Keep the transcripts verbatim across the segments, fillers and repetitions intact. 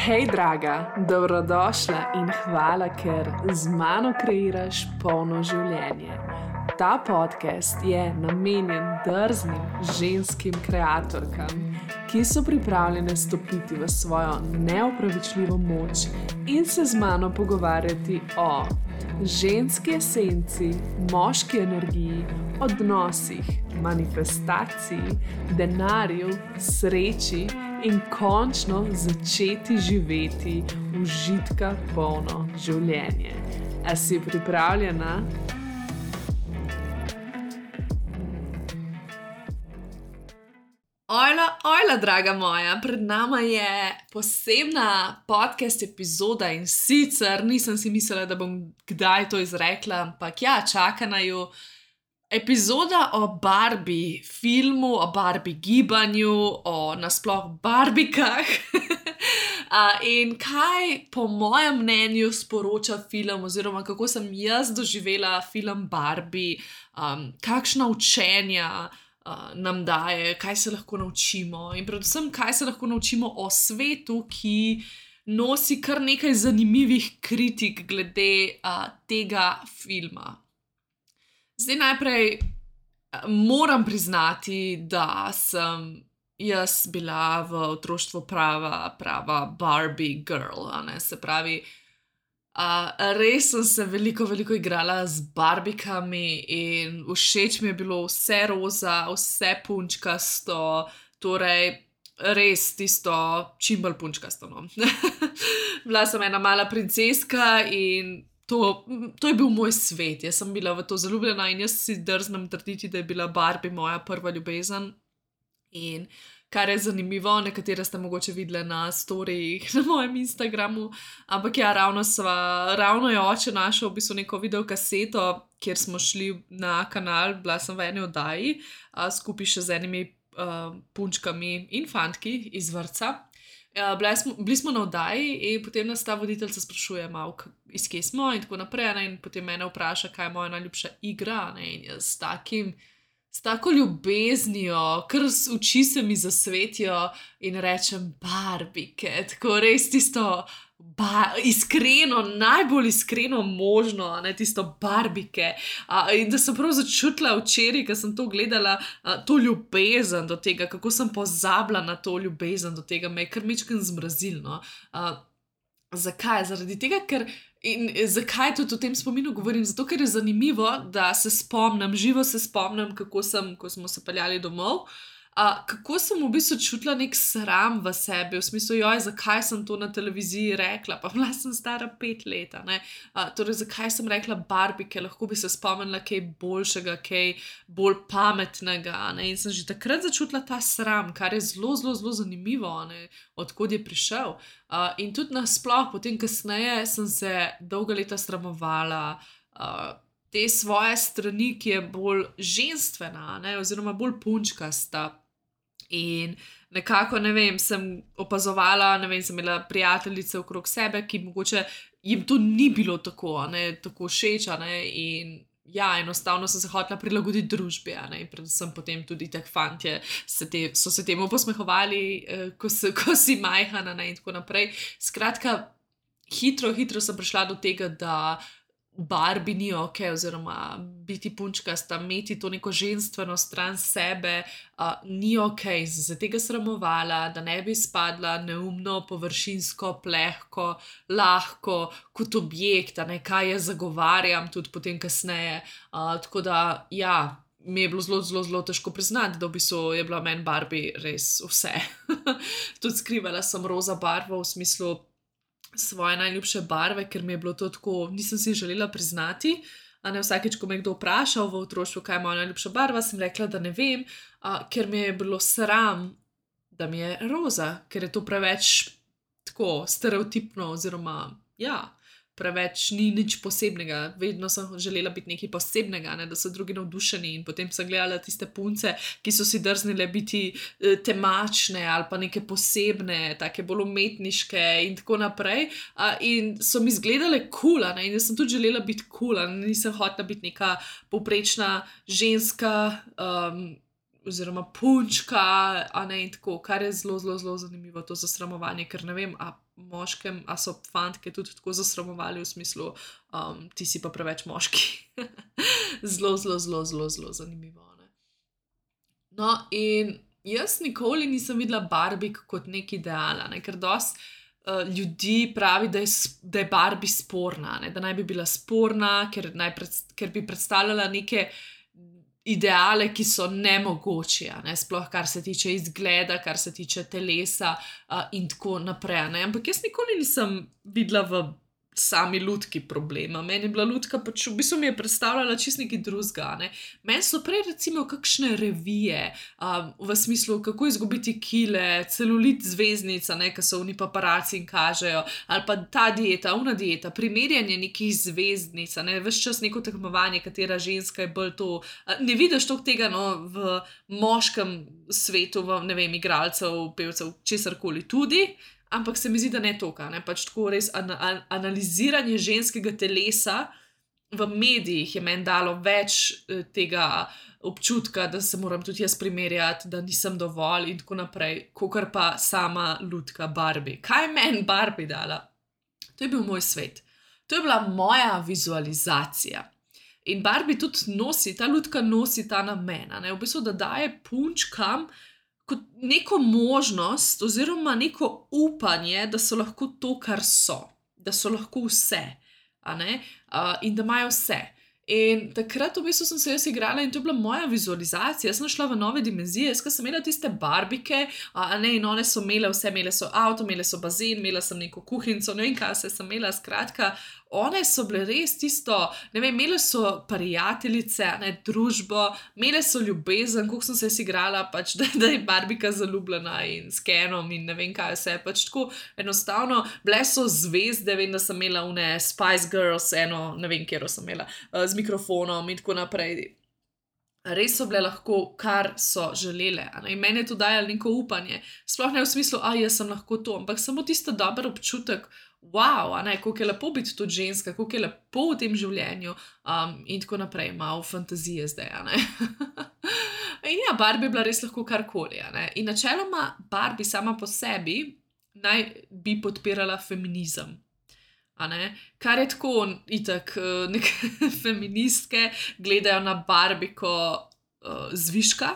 Hej, draga, dobrodošla in hvala, ker z mano kreiraš polno življenje. Ta podcast je namenjen drznim ženskim kreatorkam, ki so pripravljene stopiti v svojo neopravičljivo moč in se z mano pogovarjati o ženski esenci, moški energiji, odnosih, manifestaciji, denarju, sreči in končno začeti živeti užitka polno življenje. A si pripravljena? Ojla, ojla, draga moja, pred nama je posebna podcast epizoda in sicer nisem si mislila, da bom kdaj to izrekla, ampak ja, čaka na ju epizoda o Barbie filmu, o Barbie gibanju, o nasploh Barbikah in kaj po mojem mnenju sporoča film oziroma kako sem jaz doživela film Barbie, um, kakšna učenja Uh, nam daje, kaj se lahko naučimo in predvsem, kaj se lahko naučimo o svetu, ki nosi kar nekaj zanimivih kritik glede uh, tega filma. Zdaj najprej uh, moram priznati, da sem jaz bila v otroštvu prava, prava Barbie girl, a ne, se pravi, Uh, res sem se veliko, veliko igrala z barbikami in všeč mi je bilo vse roza, vse punčkasto, torej res tisto čim bolj punčkasto. No. Bila sem ena mala princeska in to, to je bil moj svet. Jaz sem bila v to zaljubljena in jaz si drznem trditi, da je bila Barbie moja prva ljubezen. In kar je zanimivo, nekatere ste mogoče videli na storijih na mojem Instagramu, ampak ja, ravno, sva, ravno je oče našel v bistvu neko videokaseto, kjer smo šli na kanal, bila sem v eni oddaji, a, skupaj še z enimi a, punčkami in fantki iz vrtca. A, bili, smo, bili smo na oddaji in potem nas ta voditeljca sprašuje malo, iz kje smo in tako naprej, ne, in potem mene vpraša, kaj je moja najljubša igra, ne, in jaz s takim S tako ljubeznijo, kar oči se mi zasvetijo in rečem Barbike, tako res tisto ba iskreno, najbolj iskreno možno, ne, tisto Barbike. A, in da sem prav začutila včeraj, ko sem to gledala, a, to ljubezen do tega, kako sem pozabila na to ljubezen do tega, me je kar mičken zmrazilno. Zakaj? Zaradi tega, ker In zakaj tudi o tem spominu govorim? Zato, ker je zanimivo, da se spomnim, živo se spomnim, kako sem, ko smo se peljali domov, a, kako sem v bistvu čutila nek sram v sebi, v smislu, joj, zakaj sem to na televiziji rekla, pa bila sem stara pet let, ne, a, torej, zakaj sem rekla Barbike, lahko bi se spomnila kaj boljšega, kaj bolj pametnega, ne, in sem že takrat začutila ta sram, kar je zelo, zelo, zelo zanimivo, ne, odkod je prišel. Uh, in tudi nasploh, potem kasneje sem se dolga leta sramovala uh, te svoje strani, ki je bolj ženstvena, ne, oziroma bolj punčkasta. In nekako, ne vem, sem opazovala, ne vem, sem imela prijateljice okrog sebe, ki mogoče jim to ni bilo tako, ne, tako všeč, ne, in ja, enostavno sem se hotela prilagoditi družbi, ne, in predvsem potem tudi tak fantje se te, so se temu posmehovali, eh, ko, se, ko si majhana, ne, in tako naprej. Skratka, hitro, hitro sem prišla do tega, da Barbie ni ok, oziroma biti punčkasta, imeti to neko ženstveno stran sebe, uh, ni ok, sem se tega sramovala, da ne bi spadla neumno, površinsko, plehko, lahko, kot objekt, ne, kaj jaz zagovarjam tudi potem kasneje. Uh, tako da, ja, mi je bilo zelo, zelo, zelo težko priznati, da v bistvu je bila meni Barbie res vse. Tudi skrivala sem roza barvo v smislu svoje najljubše barve, ker mi je bilo to tako, nisem si želela priznati, a ne, vsakeč, ko me je kdo vprašal v otroštvu, kaj je moja najljubša barva, sem rekla, da ne vem, a, ker mi je bilo sram, da mi je roza, ker je to preveč tako stereotipno oziroma, ja, preveč ni nič posebnega, vedno sem želela biti nekaj posebnega, ne, da so drugi navdušeni in potem sem gledala tiste punce, ki so si drznile biti eh, temačne ali pa neke posebne, take bolj umetniške in tako naprej a, in so mi izgledale cool, ne, in jaz sem tudi želela biti cool, nisem hotela biti neka povprečna ženska, um, oziroma punčka, a ne in tako, kar je zelo, zelo, zelo zanimivo, to zasramovanje, ker ne vem, a moškem, a so fantke tudi tako zasramovali v smislu, um, ti si pa preveč moški. Zelo, zelo, zelo, zelo, zelo zanimivo. Ne? No, in jaz nikoli nisem videla Barbie kot nek ideal, ne? Ker dosti uh, ljudi pravi, da je, da je Barbie sporna, ne? Da naj bi bila sporna, ker, naj pred, ker bi predstavljala neke ideale, ki so nemogoči, ne? Sploh kar se tiče izgleda, kar se tiče telesa uh, in tako naprej. Ne? Ampak jaz nikoli nisem videla v sami lutki problema. Meni je bila lutka, pač v bistvu mi je predstavljala čist nekaj drugega. Ne? Meni so prej recimo kakšne revije, um, v smislu, kako izgubiti kile, celulit zvezdnica, ki so oni paparaci in kažejo, ali pa ta dieta, una dieta, primerjanje nekih zvezdnic, ne? Ves čas neko tekmovanje, katera ženska je bolj to. Ne vidiš toliko tega no, v moškem svetu, v, ne vem, igralcev, pevcev, česarkoli tudi, ampak se mi zdi, da ne toka, ne, pač tako res an- an- analiziranje ženskega telesa v medijih je meni dalo več eh, tega občutka, da se moram tudi jaz primerjati, da nisem dovolj in tako naprej, kakor pa sama lutka Barbie. Kaj je meni Barbie dala? To je bil moj svet. To je bila moja vizualizacija. In Barbie tudi nosi, ta lutka nosi ta namen, ne, v bistvu, da daje punčkam kot neko možnost oziroma neko upanje, da so lahko to, kar so, da so lahko vse, a ne, uh, in da imajo vse. In takrat v bistvu sem se jaz igrala in to je bila moja vizualizacija. Jaz sem šla v nove dimenzije, jaz sem imela tiste barbike, a ne, in one so imele vse, imele so avto, imele so bazen, imela sem neko kuhinco, ne vem kaj se sem imela, skratka, one so bile res tisto, ne vem, imele so prijateljice, ne, družbo, imele so ljubezen, koliko sem se jaz igrala, pač, da, da je barbika zaljubljena in s Kenom in ne vem kaj vse, pač tako enostavno, bile so zvezde, vem, da sem imela une Spice Girls, eno, ne vem, kjero sem imela, z mikrofonom in tako naprej. Res so bile lahko, kar so želele. In meni je to dajalo neko upanje. Sploh ne v smislu, a jaz sem lahko to, ampak samo tisto dober občutek, wow, a ne, koliko je lepo biti tudi ženska, koliko je lepo v tem življenju um, in tako naprej, malo fantazije zdaj, a ne. In ja, Barbie je bila res lahko karkoli, a ne. In načeloma Barbie sama po sebi naj bi podpirala feminizem. A ne? Kar je tako, itak, neke feministke gledajo na Barbiko uh, zviška,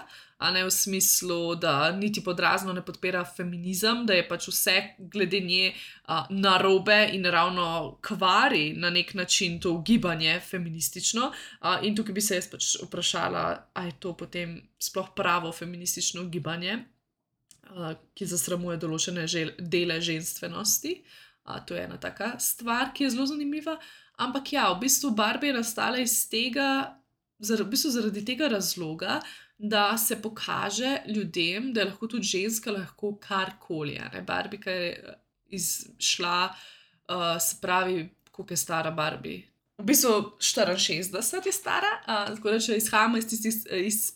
a ne v smislu, da niti podrazno ne podpira feminizem, da je pač vse glede nje uh, narobe in ravno kvari na nek način to gibanje feministično. Uh, in tukaj bi se jaz pač vprašala, a je to potem sploh pravo feministično gibanje, uh, ki zasramuje določene žel- dele ženstvenosti. A, to je ena taka stvar, ki je zelo zanimiva, ampak ja, v bistvu Barbie je nastala iz tega, zar, v bistvu zaradi tega razloga, da se pokaže ljudem, da je lahko tudi ženska lahko karkoli. Ne? Barbika je izšla, uh, se pravi, koliko je stara Barbie? V bistvu štiriinšestdeset je stara, uh, tako da če izhajamo iz tistih iz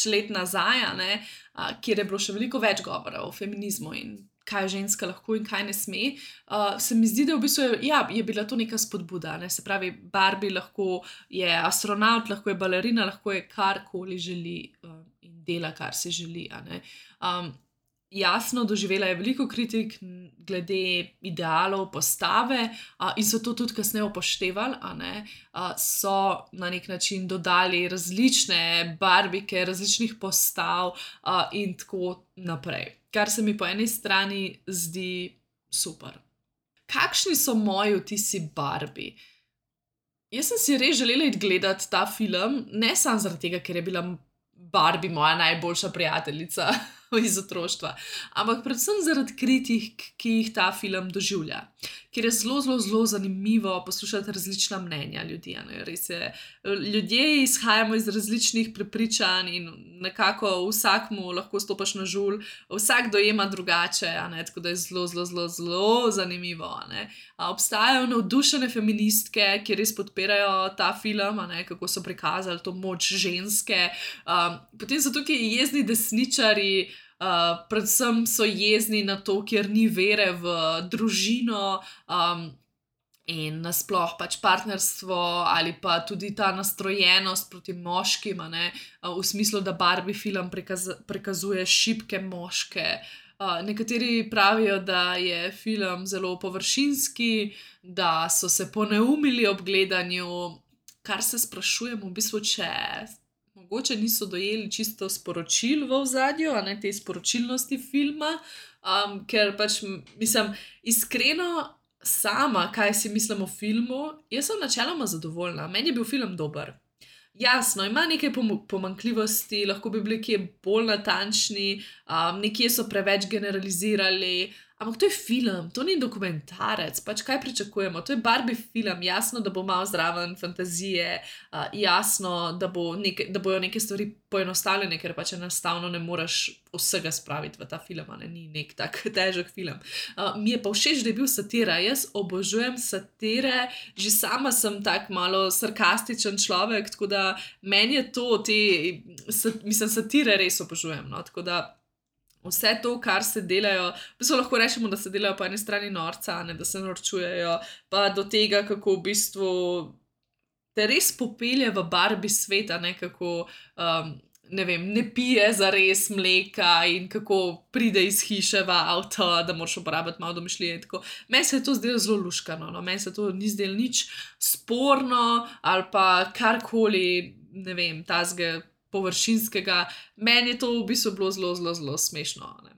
let nazaj, ne, uh, kjer je bilo še veliko več govora o feminizmu in kaj ženska lahko in kaj ne sme, uh, se mi zdi, da v bistvu je, ja, je bila to neka spodbuda. Ne? Se pravi, Barbie lahko je astronaut, lahko je balerina, lahko je karkoli želi uh, in dela, kar si želi. A ne? Um, jasno, doživela je veliko kritik glede idealov, postave uh, in so to tudi kasneje upoštevali. A ne? Uh, so na nek način dodali različne barbike, različnih postav uh, in tako naprej. Kar se mi po eni strani zdi super. Kakšni so moji vtisi Barbie? Jaz sem si res želela iti gledati ta film, ne samo zaradi tega, ker je bila Barbie moja najboljša prijateljica iz otroštva, ampak predvsem zaradi kritik, ki jih ta film doživlja. Ker je zelo, zelo, zelo zanimivo poslušati različna mnenja ljudi. Res je, ljudje izhajamo iz različnih prepričanj in nekako vsakmu lahko stopaš na žulj, vsak dojema drugače, a ne? Tako da je zelo, zelo, zelo, zelo zanimivo. A ne? A obstajajo navdušene feministke, ki res podpirajo ta film, a ne? Kako so prikazali to moč ženske. Um, potem so tukaj jezni desničarji, Uh, predvsem so jezni na to, ker ni vere v družino um, In nasploh pač partnerstvo ali pa tudi ta nastrojenost proti moškim, a ne, a, v smislu, da Barbie film prikaz, prikazuje šibke moške. A, nekateri pravijo, da je film zelo površinski, da so se poneumili ob gledanju, kar se sprašujem v bistvu, če mogoče niso dojeli čisto sporočil v ozadju, a ne te sporočilnosti filma, um, ker pač m- mislim, iskreno sama, kaj si mislim o filmu, jaz sem načeloma zadovoljna. Meni je bil film dober. Jasno, ima nekaj pom- pomanjkljivosti, lahko bi bili kje bolj natančni, um, nekje so preveč generalizirali, ampak to je film, to ni dokumentarec, pač kaj pričakujemo? To je Barbie film, jasno, da bo malo zraven fantazije, uh, jasno, da, bo neke, da bojo neke stvari poenostavljene, ker pač enostavno ne moreš vsega spraviti v ta film, a ne, ni nek tak težek film. Uh, mi je pa všeč, da je bil satira, jaz obožujem satire, že sama sem tak malo sarkastičen človek, tako da meni je to, te, sat, mislim, satire res obožujem, no, tako da vse to, kar se delajo, v bistvu lahko rečemo, da se delajo po eni strani norca, a ne, da se norčujejo, pa do tega, kako v bistvu te res popelje v Barbie svet, a ne, kako, um, ne vem, ne pije zares mleka in kako pride iz hiše v avto, da moraš uporabiti malo domišljije in tako. Meni se je to zdelo zelo luškano, no, meni se to ni zdelo nič sporno ali pa karkoli, ne vem, tazga površinskega, meni je to v bistvu bilo zelo, zelo, zelo smešno. Ne?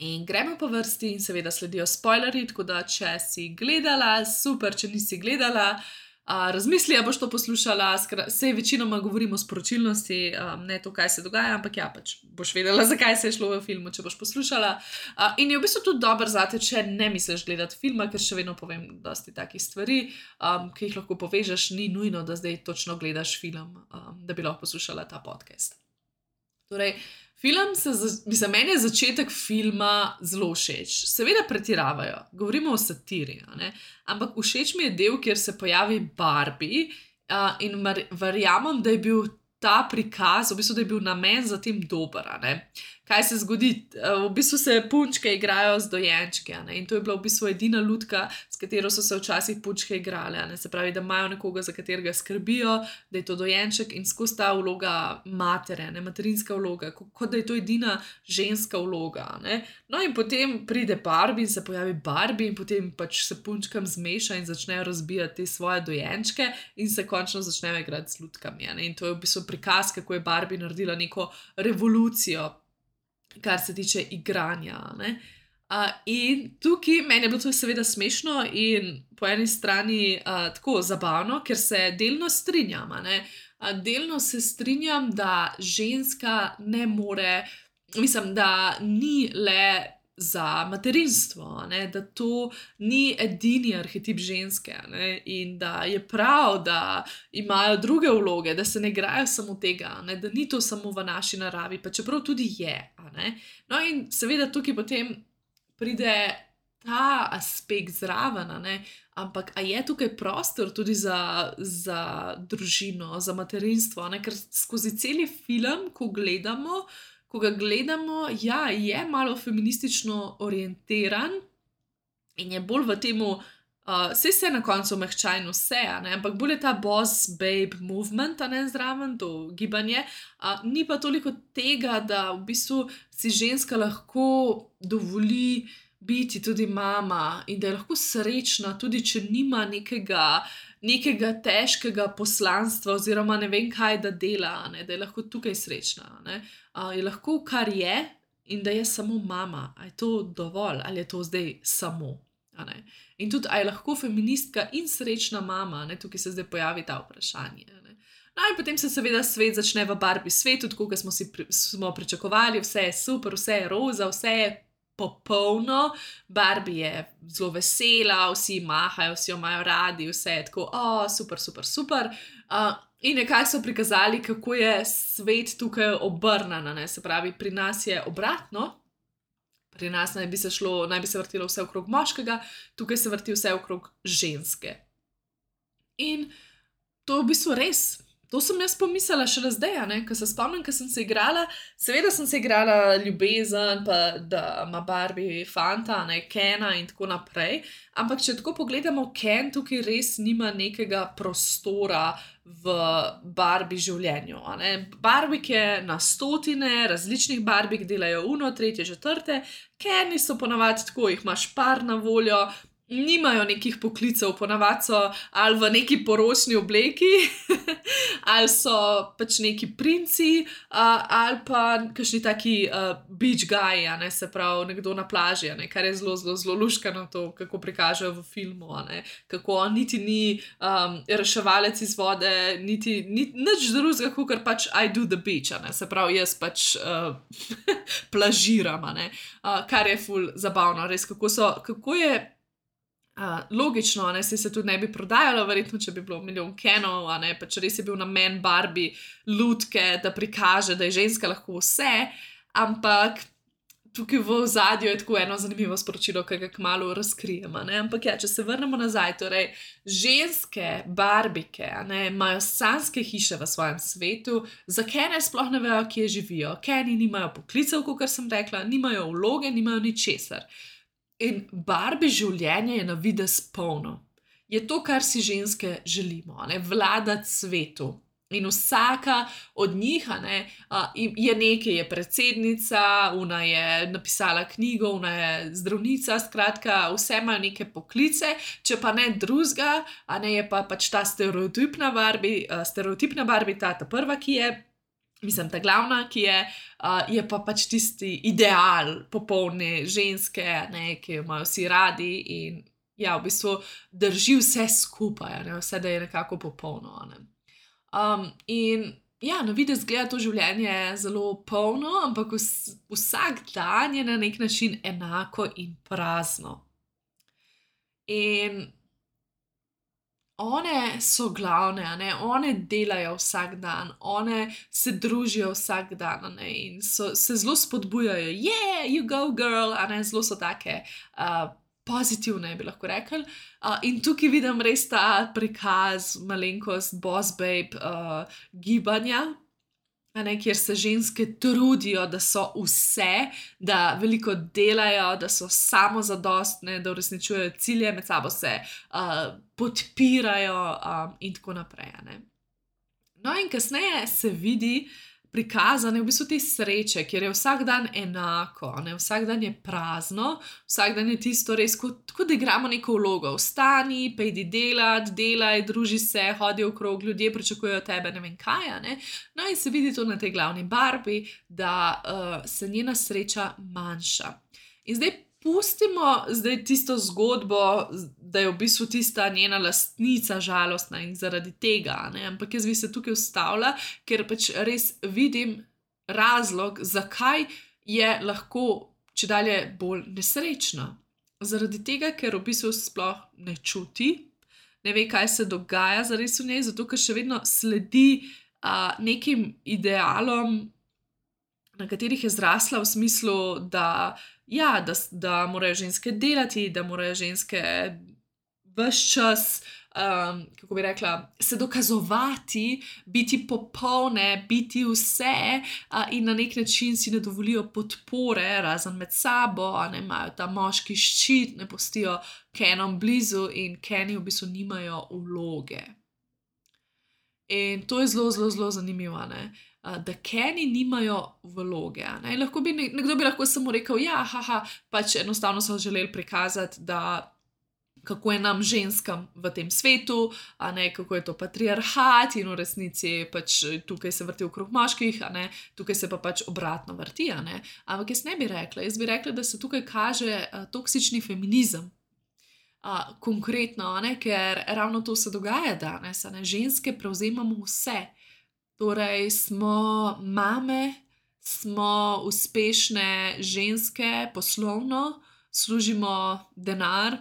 In gremo po vrsti in seveda sledijo spoilerji, tako da če si gledala, super, če nisi gledala, a, razmisli, a boš to poslušala, skra, sej večinoma govorimo o sporočilnosti, a, ne to, kaj se dogaja, ampak ja, pač boš vedela, zakaj se je šlo v filmu, če boš poslušala. A, in je v bistvu tudi dober zate, če ne misliš gledati filma, ker še vedno povem dosti takih stvari, um, ki jih lahko povežeš, ni nujno, da zdaj točno gledaš film, um, da bi lahko poslušala ta podcast. Torej, film se, mislim, meni je začetek filma zelo všeč. Seveda pretiravajo, govorimo o satiri, a ne? Ampak všeč mi je del, kjer se pojavi Barbie, uh, in mar- verjamem, da je bil ta prikaz, v bistvu, da je bil namen za tem dober, a ne. Kaj se zgodi? Uh, v bistvu se punčke igrajo z dojenčki, a ne, in to je bila v bistvu edina lutka, s katero so se včasih punčke igrale, a ne, se pravi, da imajo nekoga, za katerega skrbijo, da je to dojenček in skozi ta vloga matere, ne, materinska vloga, ko- kot da je to edina ženska vloga, a ne. No in potem pride Barbie in se pojavi Barbie in potem pač se punčkam zmeša in začnejo razbijati te svoje dojenčke in se končno začnejo igrati z lutkami, a ne, in to je v bistvu prikaz, kako je Barbie naredila neko revolucijo, kar se tiče igranja. Ne? Uh, in tukaj meni je bilo to seveda smešno in po eni strani uh, tako zabavno, ker se delno strinjam. a ne. Uh, delno se strinjam, da ženska ne more, mislim, da ni le za materinstvo, a ne, da to ni edini arhetip ženske, a ne, in da je prav, da imajo druge vloge, da se ne igrajo samo tega, a ne, da ni to samo v naši naravi, pa čeprav tudi je. A ne. No in seveda tukaj potem pride ta aspekt zraven, a ne, ampak a je tukaj prostor tudi za, za družino, za materinstvo, a ne, ker skozi celi film, ko gledamo, ko ga gledamo, ja, je malo feministično orientiran in je bolj v temu, uh, saj se na koncu mehča in vse, a ne, ampak bolj je ta boss babe movement, a ne, zraven, to gibanje, uh, ni pa toliko tega, da v bistvu si ženska lahko dovoli biti tudi mama in da je lahko srečna, tudi če nima nekega, nekega težkega poslanstva oziroma ne vem kaj, da dela, a ne, da je lahko tukaj srečna. A ne. Uh, je lahko, kar je, in da je samo mama. A je to dovolj ali je to zdaj samo? A ne. In tudi, a je lahko feministka in srečna mama, a ne, tukaj se zdaj pojavi ta vprašanje. A ne. No in potem se seveda svet začne v Barbie svetu, tako kot smo si pri, smo pričakovali, vse je super, vse je roza, vse je popolno, Barbie je zelo vesela, vsi mahajo, vsi jo imajo radi, vse je tako, o, super, super, super. Uh, in nekako so prikazali, kako je svet tukaj obrnan, ne, se pravi, pri nas je obratno, pri nas naj bi se šlo, naj bi se vrtilo vse okrog moškega, tukaj se vrti vse okrog ženske. In to je v bistvu res. to sem jaz pomislila šele zdaj, ne, ko se spomnim, ko sem se igrala, seveda sem se igrala ljubezen, pa da ima Barbie fanta, ne, Kena in tako naprej, ampak če tako pogledamo, Ken tukaj res nima nekega prostora v Barbie življenju, a ne. Barbike na stotine, različnih Barbik delajo uno, tretje, četrte, Keni so ponavadi tako, jih imaš par na voljo, nimajo nekih poklicev, ponavadi so ali v neki poročni obleki, ali so pač neki princi, uh, ali pa kakšni taki uh, beach guy, a ne, se pravi, nekdo na plaži, a ne, kar je zelo, zelo, zelo luškano to, kako prikažejo v filmu, a ne, kako on niti ni um, reševalec iz vode, niti, niti nič drugega, kakor pač I do the beach, a ne, se pravi, jaz pač uh, plažiram, a ne, uh, kar je ful zabavno, res, kako so, kako je Uh, logično, ne, se tudi ne bi prodajalo, verjetno, če bi bilo milijon Kenov, a ne, pač res je bil namen Barbie lutke, da prikaže, da je ženska lahko vse, ampak tukaj v ozadju je tako eno zanimivo sporočilo, ki ga kmalu razkrijemo, ne, ampak ja, če se vrnemo nazaj, torej, ženske Barbike, a ne, imajo sanjske hiše v svojem svetu, za Kene sploh ne vejo, kje živijo, Keni nimajo poklicev, kakor sem rekla, nimajo vloge, nimajo ničesar. In Barbie življenje je na videz polno. Je to, kar si ženske želimo, ne? Vladati svetu. In vsaka od njih, a ne, je nekaj, je predsednica, ona je napisala knjigo, ona je zdravnica, skratka, vse imajo neke poklice, če pa ne drugega, a ne, je pa pač ta stereotipna Barbie, stereotipna Barbie, ta, ta prva, ki je, mislim, ta glavna, ki je, uh, je pa pač tisti ideal popolne ženske, ne, ki jo imajo vsi radi in ja, v bistvu drži vse skupaj, ne, vse, da je nekako popolno. Ne. Um, in ja, na videz gleda to življenje zelo polno, ampak vs vsak dan je na nek način enako in prazno. In one so glavne, a ne, one delajo vsak dan, one se družijo vsak dan, a ne, in so, se zelo spodbujajo, yeah, you go girl, a ne, zelo so take uh, pozitivne, bi lahko rekli. Uh, in tukaj vidim res ta prikaz, malenkost, boss babe uh, gibanja, a ne, kjer se ženske trudijo, da so vse, da veliko delajo, da so samozadostne, da uresničujejo cilje, med sabo se uh, podpirajo um, in tako naprej. A ne. No in kasneje se vidi prikazane v bistvu te sreče, kjer je vsak dan enako, ne, vsak dan je prazno, vsak dan je tisto res, kot, kot da igramo neko vlogo. Vstani, pejdi delat, delaj, druži se, hodi okrog, ljudje pričakujejo tebe, ne vem kaj, a ne. No in se vidi to na tej glavni Barbie, da uh, se njena sreča manjša. In zdaj pustimo zdaj tisto zgodbo, da je v bistvu tista njena lastnica žalostna in zaradi tega, ne? Ampak jaz bi se tukaj ustavila, ker pač res vidim razlog, zakaj je lahko čedalje bolj nesrečna. Zaradi tega, ker v bistvu sploh ne čuti, ne ve, kaj se dogaja zares v njej, zato ker še vedno sledi uh, nekim idealom, na katerih je zrasla v smislu, da ja, da, da morajo ženske delati, da morajo ženske ves čas, um, kako bi rekla, se dokazovati, biti popolne, biti vse uh, in na nek način si ne dovolijo podpore, razen med sabo, a ne imajo ta moški ščit, ne pustijo Kenom blizu in Keni v bistvu nimajo vloge. In to je zelo, zelo, zelo zanimivo, ne. Da Keni nimajo vloge. Ne? Lahko bi, nekdo bi lahko samo rekel, ja, haha, pač enostavno so želeli prikazati, da kako je nam ženskam v tem svetu, a ne, kako je to patriarhat in v resnici pač tukaj se vrti okrog moških, a ne, tukaj se pa pač obratno vrti, a ne. Ampak jaz ne bi rekla, jaz bi rekla, da se tukaj kaže uh, toksični feminizem. Uh, konkretno, a ne, ker ravno to se dogaja danes, a ne, ženske prevzemamo vse. Torej, smo mame, smo uspešne ženske poslovno, služimo denar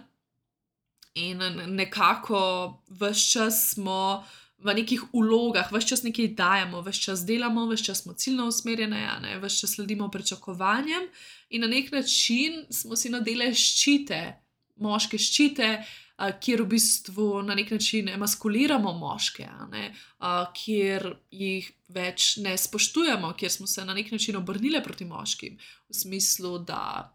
in nekako ves čas smo v nekih vlogah, ves čas nekaj dajemo, ves čas delamo, ves čas smo ciljno usmerjene, a ne, ves čas sledimo pričakovanjem in na nek način smo si nadele ščite, moške ščite, uh, kjer v bistvu na nek način emaskuliramo moške, a ne, uh, kjer jih več ne spoštujemo, kjer smo se na nek način obrnili proti moškim, v smislu, da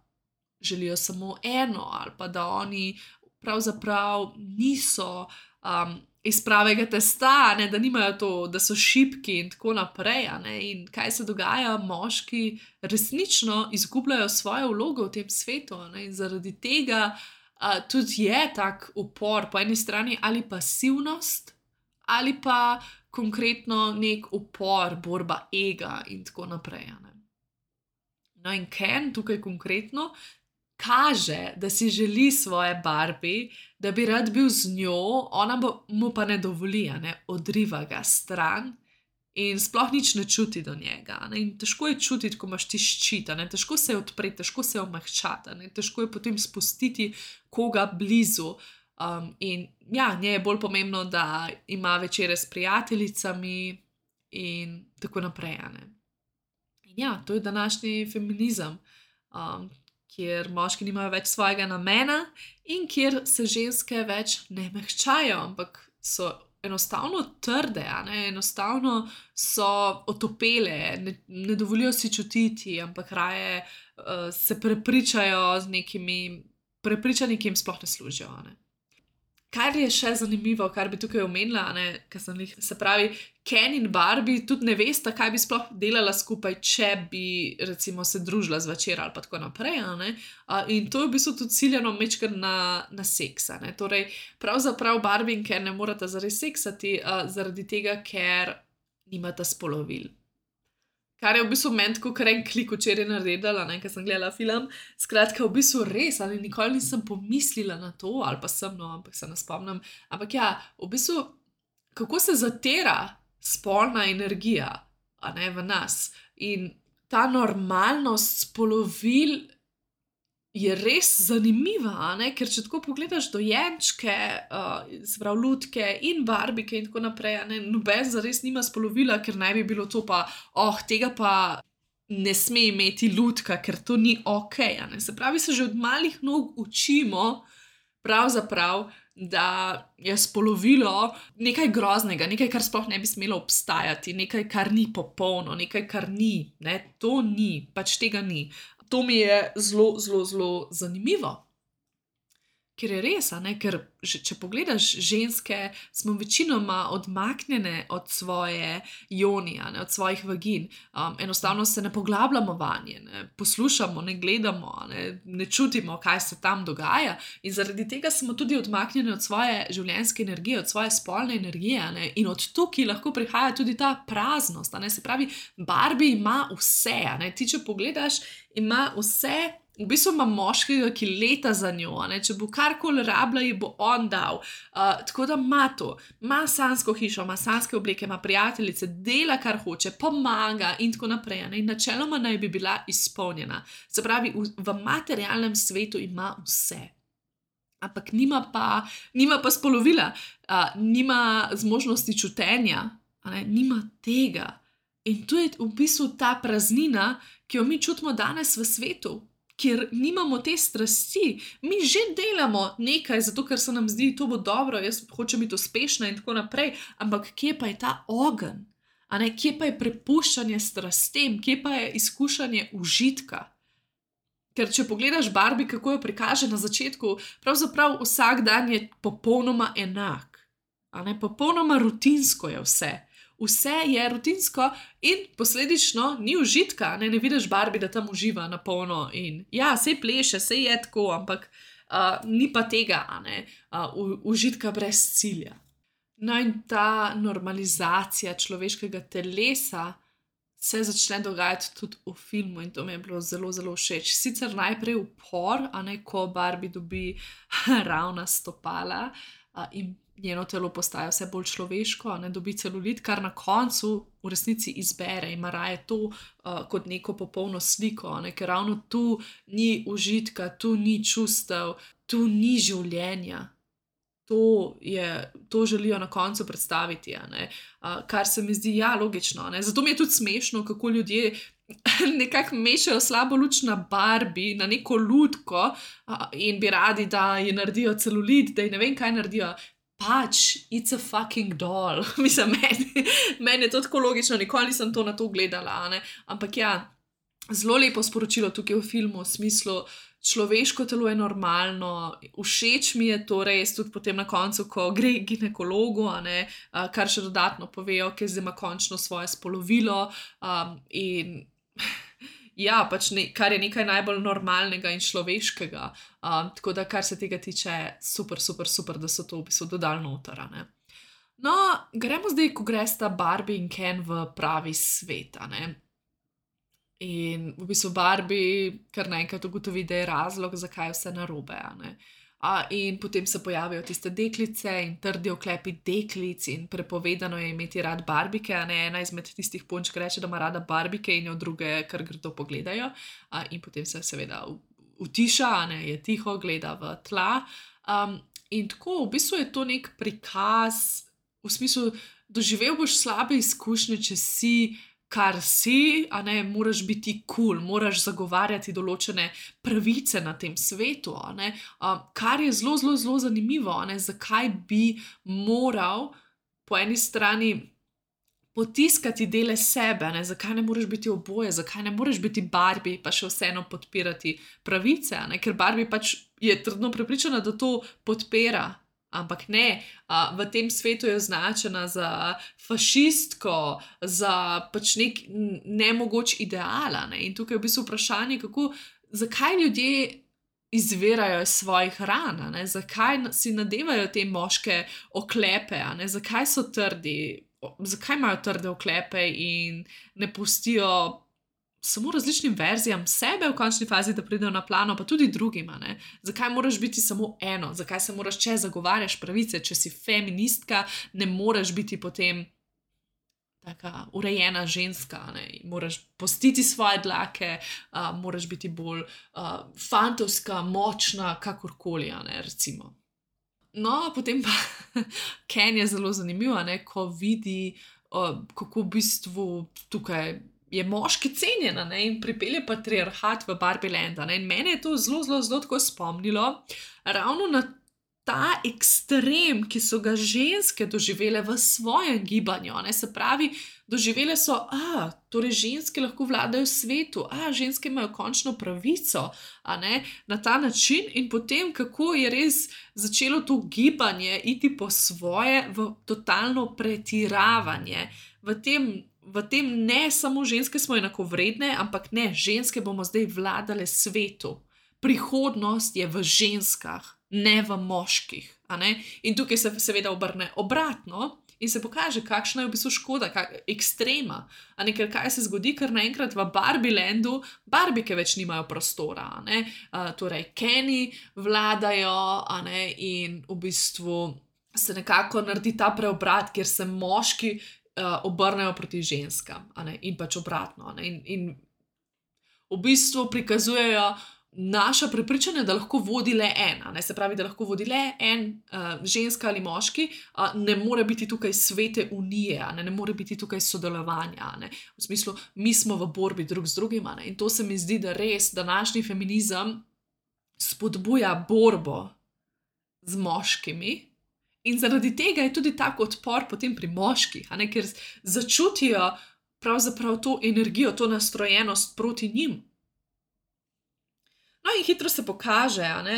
želijo samo eno, ali pa da oni pravzaprav niso um, iz pravega testa, ne, da nimajo to, da so šibki in tako naprej. A ne, in kaj se dogaja, moški resnično izgubljajo svojo vlogo v tem svetu, a ne, in zaradi tega uh, tudi je tak upor po eni strani ali pasivnost, ali pa konkretno nek upor, borba ega in tako naprej. A ne. No, in Ken tukaj konkretno kaže, da si želi svoje Barbie, da bi rad bil z njo, ona bo, mu pa ne dovoli, a ne, odriva ga stran in sploh nič ne čuti do njega. A ne, in težko je čutiti, ko imaš ti ščit, a ne, težko se je odpreti, težko se je omehčati, a ne, težko je potem spustiti koga blizu. Um, in ja, njej je bolj pomembno, da ima večere s prijateljicami in tako naprej, a ne. In ja, to je današnji feminizem, um, kjer moški nimajo več svojega namena in kjer se ženske več ne mehčajo, ampak so enostavno trde, a ne, enostavno so otopele, ne, ne dovolijo si čutiti, ampak raje uh, se prepričajo z nekimi prepričanji, ki jim sploh ne služijo, a ne. Kar je še zanimivo, kar bi tukaj omenila, a ne, ker sem jih, se pravi, Ken in Barbie tudi ne vesta, kaj bi sploh delala skupaj, če bi recimo se družila zvečer ali pa tako naprej, a ne. Uh, in to je v bistvu tudi ciljano majčkeno na, na seks, a ne. Torej, pravzaprav Barbie in Ken ne morata zares seksati, uh, zaradi tega, ker nimata spolovil. Kar je v bistvu meni tako kar en klik včeraj naredila, ne, ker sem gledala film. Skratka, v bistvu res, ali nikoli nisem pomislila na to, ali pa sem, no, ampak se ne spomnim. Ampak ja, v bistvu, kako se zatira spolna energija, a ne, v nas. In ta normalnost spolovil je res zanimiva, a ne, ker če tako pogledaš dojenčke, uh, se pravi lutke in barbike in tako naprej, a ne, noben zares nima spolovila, ker naj bi bilo to pa, oh, tega pa ne sme imeti lutka, ker to ni okej, a ne. Se pravi, se že od malih nog učimo pravzaprav, da je spolovilo nekaj groznega, nekaj, kar sploh ne bi smelo obstajati, nekaj, kar ni popolno, nekaj, kar ni, ne, to ni, pač tega ni. To mi je zelo, zelo, zelo zanimivo. Ker je res, a ne, ker če pogledaš ženske, smo večinoma odmaknjene od svoje joni, a ne, od svojih vagin. Um, enostavno se ne poglabljamo vanje, ne poslušamo, ne gledamo, a ne, ne čutimo, kaj se tam dogaja. In zaradi tega smo tudi odmaknjene od svoje življenjske energije, od svoje spolne energije, a ne. In od tukaj lahko prihaja tudi ta praznost, a ne. Se pravi, Barbie ima vse, a ne. Ti, če pogledaš, ima vse. V bistvu ima moškega, ki leta za njo, a ne, če bo karkoli rabila, ji bo on dal. Uh, tako da ima to, ima sanjsko hišo, ima sanjske obleke, ima prijateljice, dela, kar hoče, pomaga in tako naprej, a ne, in načeloma naj bi bila izpolnjena. Se pravi, v, v materialnem svetu ima vse. Ampak nima pa, nima pa spolovila, uh, nima zmožnosti čutenja, a ne, nima tega. In to je v bistvu ta praznina, ki jo mi čutimo danes v svetu. Ker nimamo te strasti, mi že delamo nekaj, zato ker se nam zdi, to bo dobro, jaz hočem biti uspešna in tako naprej, ampak kje pa je ta ogenj? A ne, kje pa je prepuščanje strastem, kje pa je izkušanje užitka? Ker če pogledaš Barbie, kako jo prikaže na začetku, pravzaprav vsak dan je popolnoma enak. A ne, popolnoma rutinsko je vse. Vse je rutinsko in posledično ni užitka, ne, ne vidiš Barbie, da tam uživa na polno in ja, sej pleše, sej je tako, ampak uh, ni pa tega, a ne, uh, užitka brez cilja. No in ta normalizacija človeškega telesa se začne dogajati tudi v filmu in to mi je bilo zelo, zelo všeč. Sicer najprej upor, a ne, ko Barbie dobi ravna stopala uh, in njeno telo postaja vse bolj človeško, ne, dobi celulit, kar na koncu v resnici izbere, ima raje to uh, kot neko popolno sliko, ne, ker ravno tu ni užitka, tu ni čustev, tu ni življenja. to, je, to želijo na koncu predstaviti, a ne. Uh, kar se mi zdi, ja, logično, a ne. Zato mi je tudi smešno, kako ljudje nekako mešajo slabo luč na Barbie, na neko lutko uh, in bi radi, da ji naredijo celulit, da ji ne vem, kaj naredijo. Pač, it's a fucking doll. Mislim, meni, meni je to tako logično, nikoli nisem to na to gledala, a ne. Ampak ja, zelo lepo sporočilo tukaj v filmu, v smislu, človeško telo je normalno, všeč mi je to res tudi potem na koncu, ko gre k ginekologu, a ne, uh, kar še dodatno povejo, ker zdaj ima končno svoje spolovilo um, in ja, pač ne, kar je nekaj najbolj normalnega in človeškega. Um, tako da, kar se tega tiče, super, super, super, da so to v bistvu dodali noter, a ne. No, gremo zdaj, ko gresta Barbie in Ken v pravi svet, a ne. In v bistvu Barbie kar naenkrat ugotovi, da je razlog, zakaj je vse narobe, a ne. A, in potem se pojavijo tiste deklice in trdi oklepi deklic in prepovedano je imeti rad barbike, a ne, ena izmed tistih punčk reče, da ima rada barbike in jo druge kar grdo pogledajo. A, in potem se seveda utiša, a ne, je tiho, gleda v tla. Um, in tako, v bistvu je to nek prikaz, v smislu, doživel boš slabe izkušnje, če si kar si, a ne, moraš biti kul, cool, moraš zagovarjati določene pravice na tem svetu, a ne, um, kar je zelo, zelo, zelo zanimivo, a ne, zakaj bi moral po eni strani potiskati dele sebe, a ne, zakaj ne moreš biti oboje, zakaj ne moreš biti Barbie, pa še vseeno podpirati pravice, a ne, ker Barbie pač je trdno prepričana, da to podpira. Ampak ne, uh, v tem svetu je označena za fašistko, za pač nek nemogoč ideal, ne? In tukaj je v bistvu vprašanje, kako, zakaj ljudje izvirajo iz svojih ran, ne? Zakaj si nadevajo te moške oklepe, ne? Zakaj so trdi, zakaj imajo trde oklepe in ne pustijo samo različnim verzijam sebe v končni fazi, da pridejo na plano, pa tudi drugima, ne. Zakaj moraš biti samo eno? Zakaj se moraš, če zagovarjaš pravice, če si feministka, ne moreš biti potem taka urejena ženska, ne. Moraš postiti svoje dlake, uh, moraš biti bolj uh, fantovska, močna, kakorkoli, ne, recimo. No, potem pa Ken je zelo zanimiv, ne, ko vidi, uh, kako v bistvu tukaj je moški cenjen, ne, in pripelje patriarhat v Barbie Land, ne, in mene je to zelo, zelo, zelo tako spomnilo ravno na ta ekstrem, ki so ga ženske doživele v svojem gibanju, ne, se pravi, doživele so, a, torej ženske lahko vladajo svetu, a, ženske imajo končno pravico, a ne, na ta način in potem, kako je res začelo to gibanje iti po svoje v totalno pretiravanje, v tem V tem ne samo ženske smo enakovredne, ampak ne, ženske bomo zdaj vladale svetu. Prihodnost je v ženskah, ne v moških. A ne? In tukaj se seveda obrne obratno in se pokaže, kakšna je v bistvu škoda, kak, ekstrema. A ne, ker kaj se zgodi, ker naenkrat v Barbie Landu barbike več nimajo prostora. A ne? A, torej, Keni vladajo, a ne? In v bistvu se nekako naredi ta preobrat, kjer se moški Uh, obrnejo proti ženskam, a ne, in pač obratno, a ne, in, in v bistvu prikazujejo naša prepričanja, da lahko vodi le ena, ne, se pravi, da lahko vodi le en, uh, ženska ali moški, uh, ne more biti tukaj svete unije, a ne, ne more biti tukaj sodelovanja, a ne, v smislu, mi smo v borbi drug z drugim, a ne, in to se mi zdi, da res današnji feminizem spodbuja borbo z moškimi. In zaradi tega je tudi tak odpor potem pri moških, a ne, ker začutijo pravzaprav to energijo, to nastrojenost proti njim. No in hitro se pokaže, a ne,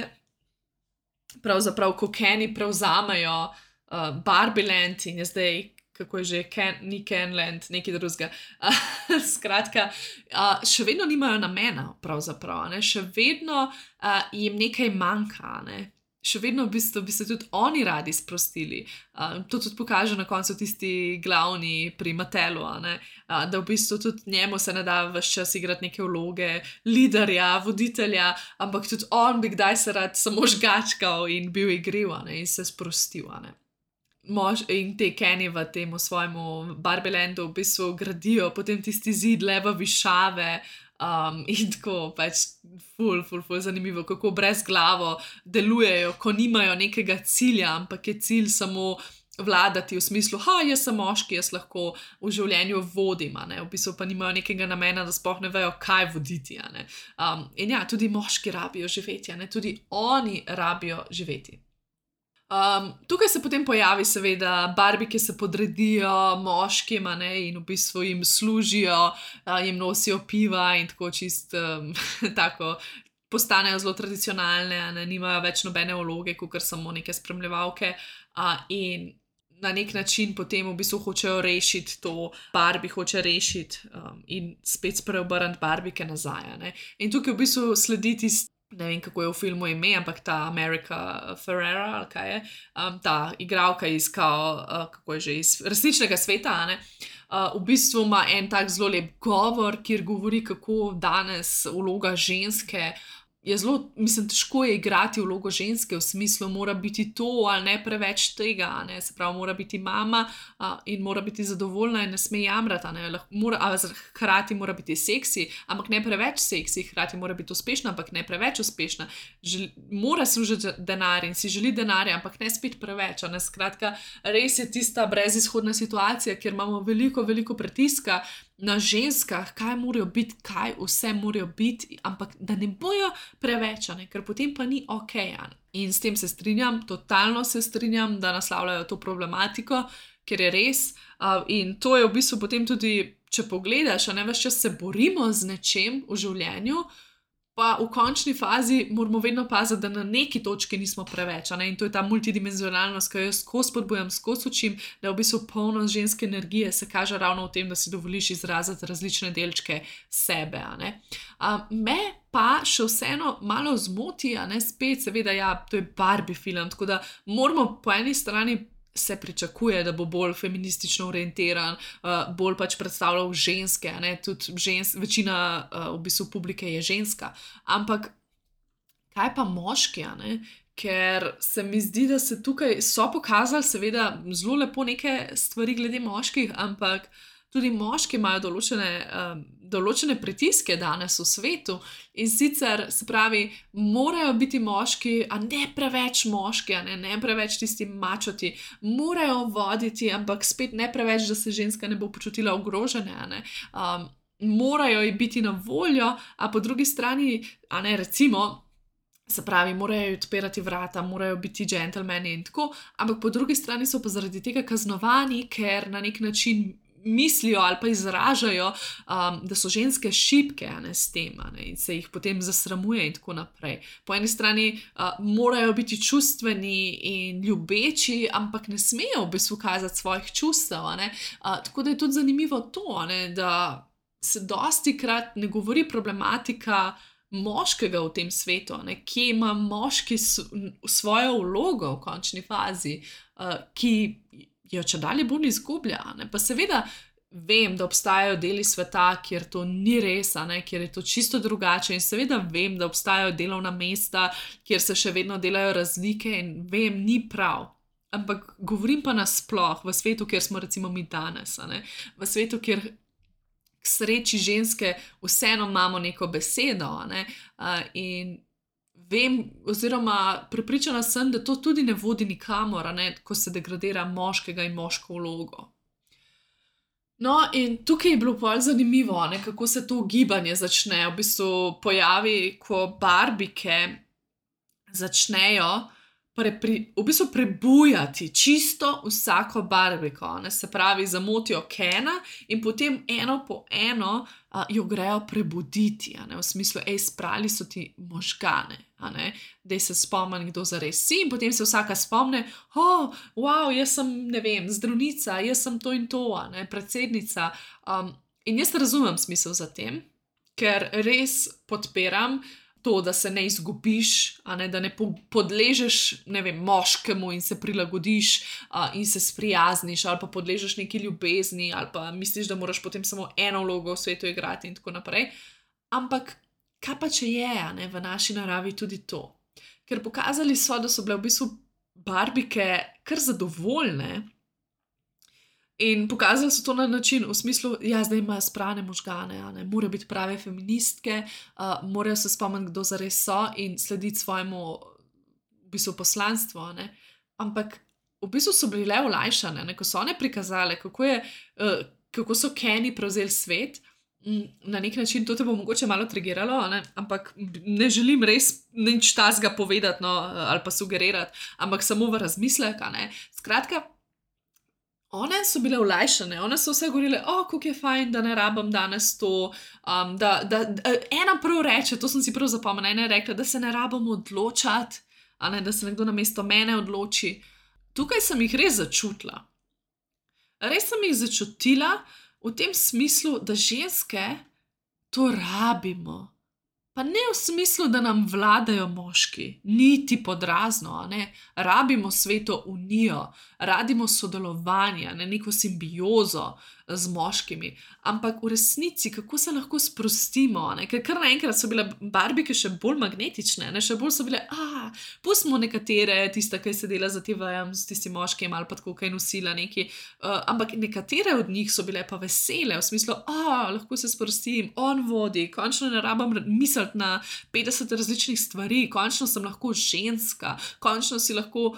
pravzaprav, ko Keni prevzamejo uh, Barbie Land in je zdaj, kako je že, Ken, ni Ken Land, nekaj drugega. Uh, skratka, uh, še vedno nimajo namena, pravzaprav, a ne, še vedno uh, jim nekaj manjka, a ne. Še vedno v bistvu bi se tudi oni radi sprostili. Uh, to tudi pokaže na koncu tisti glavni pri Mattelu, uh, da v bistvu tudi njemu se ne da ves čas igrati neke vloge liderja, voditelja, ampak tudi on bi kdaj se rad samo žgačkal in bil igriv, ne, in se sprostil. Ne. Mož, in te Keni v tem svojemu Barbie Landu v bistvu gradijo potem tisti zid leva višave, Um, in tako pač ful, ful, ful zanimivo, kako brez glavo delujejo, ko nimajo nekega cilja, ampak je cilj samo vladati v smislu, ha, jaz sem moški, jaz lahko v življenju vodim, a ne, v bistvu pa nimajo nekega namena, da sploh ne vejo, kaj voditi, a ne. Um, in ja, tudi moški rabijo živeti, a ne, tudi oni rabijo živeti. Um, tukaj se potem pojavi seveda Barbie, ki se podredijo moškim, a ne, in v bistvu jim služijo, uh, jim nosijo piva in tako čist um, tako postanejo zelo tradicionalne, a ne, nimajo več nobene vloge, kakor samo neke spremljevalke, uh, in na nek način potem v bistvu hočejo rešiti to, Barbie hoče rešiti um, in spet spreobrniti Barbike nazaj, a ne. In tukaj v bistvu sledi tisti, ne vem, kako je v filmu ime, ampak ta America Ferrera, ali kaj je, um, ta igralka iz, kao, uh, kako je že, iz resničnega sveta, a ne, uh, v bistvu ima en tak zelo lep govor, kjer govori, kako danes vloga ženske je zelo, mislim, težko je igrati vlogo ženske, v smislu mora biti to ali ne preveč tega, a ne, se pravi, mora biti mama uh, in mora biti zadovoljna in ne sme jamrati, a ne, mora, a hkrati mora biti seksi, ampak ne preveč seksi, hkrati mora biti uspešna, ampak ne preveč uspešna, Žel, mora služiti denar in si želi denarja, ampak ne spet preveč, a ne, skratka, res je tista brezizhodna situacija, kjer imamo veliko, veliko pritiska na ženskah, kaj morajo biti, kaj vse morajo biti, ampak da ne bojo preveč, ne, ker potem pa ni ok. Ne. In s tem se strinjam, totalno se strinjam, da naslavljajo to problematiko, ker je res. Uh, in to je v bistvu potem tudi, če pogledaš, a ne, ves čas se borimo z nečem v življenju, pa v končni fazi moramo vedno paziti, da na neki točki nismo preveč, a ne, in to je ta multidimenzionalnost, ki jo jaz skozi spodbujam, skozi učim, da je v bistvu polnost ženske energije se kaže ravno v tem, da si dovoliš izraziti različne delčke sebe, a ne. Uh, me pa še vseeno malo zmoti, a ne, spet seveda, ja, to je Barbie film, tako da moramo po eni strani se pričakuje, da bo bolj feministično orientiran, uh, bolj pač predstavljal ženske, a ne, tudi žens, večina uh, v bistvu publike je ženska, ampak kaj pa moški, a ne, ker se mi zdi, da se tukaj so pokazali seveda zelo lepo neke stvari glede moških, ampak tudi moški imajo določene, um, določene pritiske danes v svetu in sicer, se pravi, morajo biti moški, a ne preveč moški, a ne, ne preveč tisti mačoti, morajo voditi, ampak spet ne preveč, da se ženska ne bo počutila ogrožene, a ne, um, morajo ji biti na voljo, a po drugi strani, a ne, recimo, se pravi, morajo odpirati vrata, morajo biti džentelmeni in tako, ampak po drugi strani so pa zaradi tega kaznovani, ker na nek način mislijo ali pa izražajo, um, da so ženske šibke, a ne, s tem, a ne, in se jih potem zasramuje in tako naprej. Po eni strani uh, morajo biti čustveni in ljubeči, ampak ne smejo v bistvu kazati svojih čustev, a ne. Uh, tako da je tudi zanimivo to, a ne, da se dostikrat ne govori problematika moškega v tem svetu, a ne, kje ima moški svojo vlogo v končni fazi, uh, ki jo če dalje bolj izgublja, ne? Pa seveda vem, da obstajajo deli sveta, kjer to ni res, a ne? Kjer je to čisto drugače in seveda vem, da obstajajo delovna mesta, kjer se še vedno delajo razlike in vem, ni prav. Ampak govorim pa nasploh v svetu, kjer smo recimo mi danes, a ne? V svetu, kjer k sreči ženske vseeno imamo neko besedo, a ne? Uh, in vem, oziroma prepričana sem, da to tudi ne vodi nikamor, a ne, ko se degradira moškega in moško vlogo. No, in tukaj je bilo bolj zanimivo, ne, kako se to gibanje začne, v bistvu pojavi, ko Barbike začnejo Pri, v bistvu prebujati čisto vsako Barbiko, ne, se pravi, zamotijo Kena in potem eno po eno a, jo grejo prebuditi, a ne, v smislu, ej, sprali so ti možgane, a ne, dej se spomni, kdo zares si, in potem se vsaka spomne, oh, wow, jaz sem, ne vem, zdravnica, jaz sem to in to, a ne, predsednica, um, in jaz razumem smisel za tem, ker res podpiram to, da se ne izgubiš, a ne, da ne podležeš, ne vem, moškemu in se prilagodiš a, in se sprijazniš, ali pa podležeš neki ljubezni, ali pa misliš, da moraš potem samo eno vlogo v svetu igrati in tako naprej. Ampak kaj pa če je, a ne, v naši naravi tudi to? Ker pokazali so, da so bile v bistvu Barbike kar zadovoljne In pokazali so to na način, v smislu, ja, zdaj imajo sprane možgane, ne, morajo biti prave feministke, uh, morajo se spomniti, kdo zares so in slediti svojemu v bistvu poslanstvu. Ne. Ampak v bistvu so bili le olajšane, ne, ko so one prikazale, kako, je, uh, kako so Kenny prevzeli svet. Na nek način to te bo mogoče malo trigiralo, ne? Ampak ne želim res nič tazga povedati, no, ali pa sugerirati, ampak samo v razmislek. Skratka, one so bile olajšane, one so vse govorile, o, kako je fajn, da ne rabim danes to, um, da, da, da ena prav reče, to sem si prav zapomnila, ena je rekla, da se ne rabim odločati, a ne, da se nekdo namesto mene odloči. Tukaj sem jih res začutila. Res sem jih začutila v tem smislu, da ženske to rabimo. Pa ne v smislu, da nam vladajo moški, niti podrazno, a ne. Rabimo sveto unijo, radimo sodelovanje, ne, neko simbiozo z moškimi, ampak v resnici, kako se lahko sprostimo, ne, ker kar naenkrat so bile barbike še bolj magnetične, ne, še bolj so bile, a, pustimo nekatere, tista, ki je sedela za te vajem, s tistim moškim ali pa tako, kaj nosila neki, uh, ampak nekatere od njih so bile pa vesele, v smislu, a, lahko se sprostim, on vodi, končno ne rabam misliti na petdeset različnih stvari, končno sem lahko ženska, končno si lahko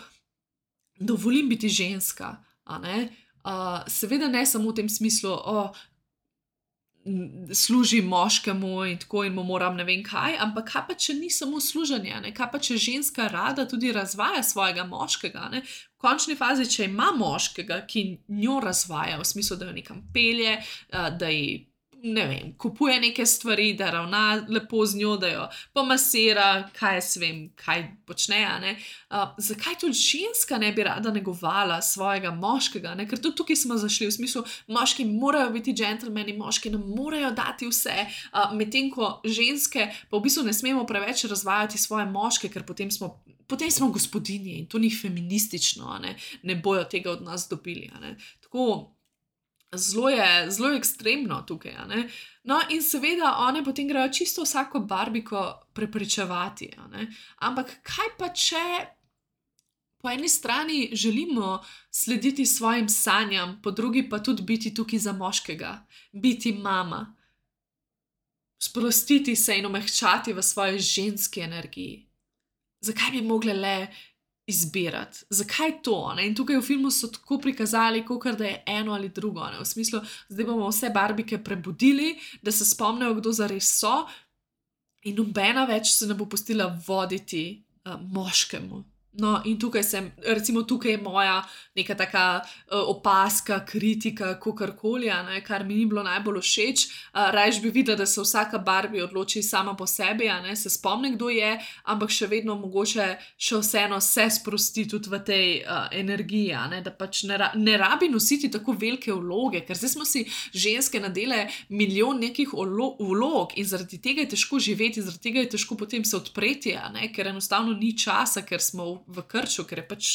dovolim biti ženska, a ne. Uh, seveda ne samo v tem smislu, o, služim moškemu in tako in mu moram ne vem kaj, ampak kaj pa, če ni samo služenje, ne? Kaj pa, če ženska rada tudi razvaja svojega moškega, ne? V končni fazi, če ima moškega, ki njo razvaja, v smislu, da jo nekam pelje, uh, da ji ne vem, kupuje neke stvari, da ravna lepo z njo, da jo pomasira, kaj jaz vem, kaj počne, a ne. Uh, zakaj tudi ženska ne bi rada negovala svojega moškega, ne? Ker tudi tukaj smo zašli v smislu, moški morajo biti džentelmeni, moški nam morajo dati vse, uh, medtem ko ženske pa v bistvu ne smemo preveč razvajati svoje moške, ker potem smo, potem smo gospodinje in to ni feministično, a ne, ne bojo tega od nas dobili, a ne. Tako, Zelo je, zelo je ekstremno tukaj, a ne. No, in seveda one potem grejo čisto vsako barbiko prepričevati, a ne. Ampak kaj pa, če po eni strani želimo slediti svojim sanjam, po drugi pa tudi biti tukaj za moškega, biti mama, sprostiti se in omehčati v svoji ženski energiji. Zakaj bi mogle le izbirati. Zakaj to? Ne? In tukaj v filmu so tako prikazali, kakor da je eno ali drugo. Ne? V smislu, zdaj bomo vse barbike prebudili, da se spomnijo, kdo zares so in nobena več se ne bo pustila voditi uh, moškemu. No, in tukaj sem, recimo tukaj je moja neka taka uh, opaska, kritika, kakorkoli, ne, kar mi ni bilo najbolj všeč. Uh, Rajš bi videla, da se vsaka Barbie odloči sama po sebi, a ne, se spomni, kdo je, ampak še vedno mogoče še vseeno se sprosti tudi v tej uh, energiji, a ne, da pač ne, ra ne rabi nositi tako velike vloge, ker zdaj smo si ženske nadele milijon nekih vlog in zaradi tega je težko živeti, zaradi tega je težko potem se odpreti, a ne, ker enostavno ni časa, ker smo v v krču, ker je pač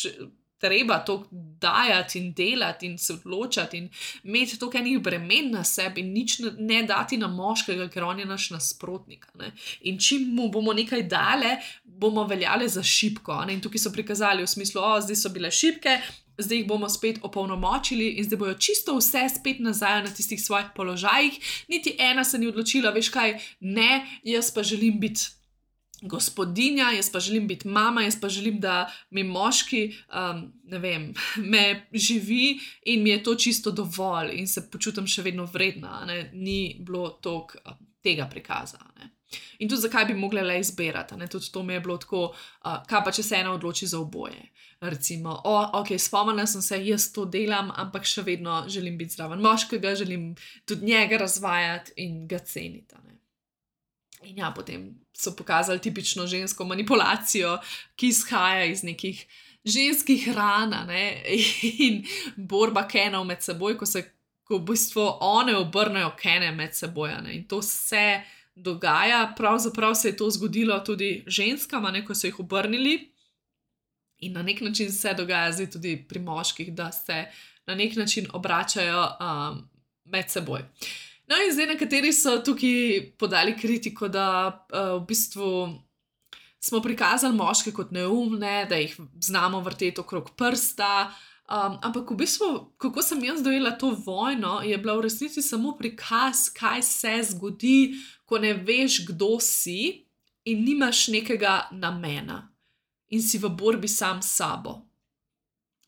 treba to dajati in delati in se odločati in imeti toliko enih bremen na sebi in nič ne, ne dati na moškega, ker on je naš nasprotnik. Ne? In čim mu bomo nekaj dale, bomo veljale za šibko. Ne? In tukaj so prikazali v smislu, o, zdaj so bile šibke, zdaj jih bomo spet opolnomočili in zdaj bojo čisto vse spet nazaj na tistih svojih položajih. Niti ena se ni odločila, veš kaj, ne, jaz pa želim biti gospodinja, jaz pa želim biti mama, jaz pa želim, da mi moški, um, ne vem, me živi in mi je to čisto dovolj in se počutim še vedno vredna, ne? Ni bilo toliko uh, tega prikaza. Ne? In tudi zakaj bi mogla le izbirati, ne? Tudi to mi je bilo tako, uh, kaj pa če se ena odloči za oboje. Recimo, o, ok, spomnila sem se, jaz to delam, ampak še vedno želim biti zraven moškega, želim tudi njega razvajati in ga ceniti. Ne? In ja, potem so pokazali tipično žensko manipulacijo, ki izhaja iz nekih ženskih ran, ne, in borba Kenov med seboj, ko se ko v bistvu one obrnejo Kene med seboj, ne, in to se dogaja, pravzaprav se je to zgodilo tudi ženskam, ne, ko so jih obrnili in na nek način se dogaja zdaj tudi pri moških, da se na nek način obračajo um, med seboj. No in zdaj nekateri so tukaj podali kritiko, da uh, v bistvu smo prikazali moške kot neumne, da jih znamo vrteti okrog prsta, Um, ampak v bistvu, kako sem jaz dojela to vojno, je bila v resnici samo prikaz, kaj se zgodi, ko ne veš, kdo si in nimaš nekega namena in si v borbi sam s sabo.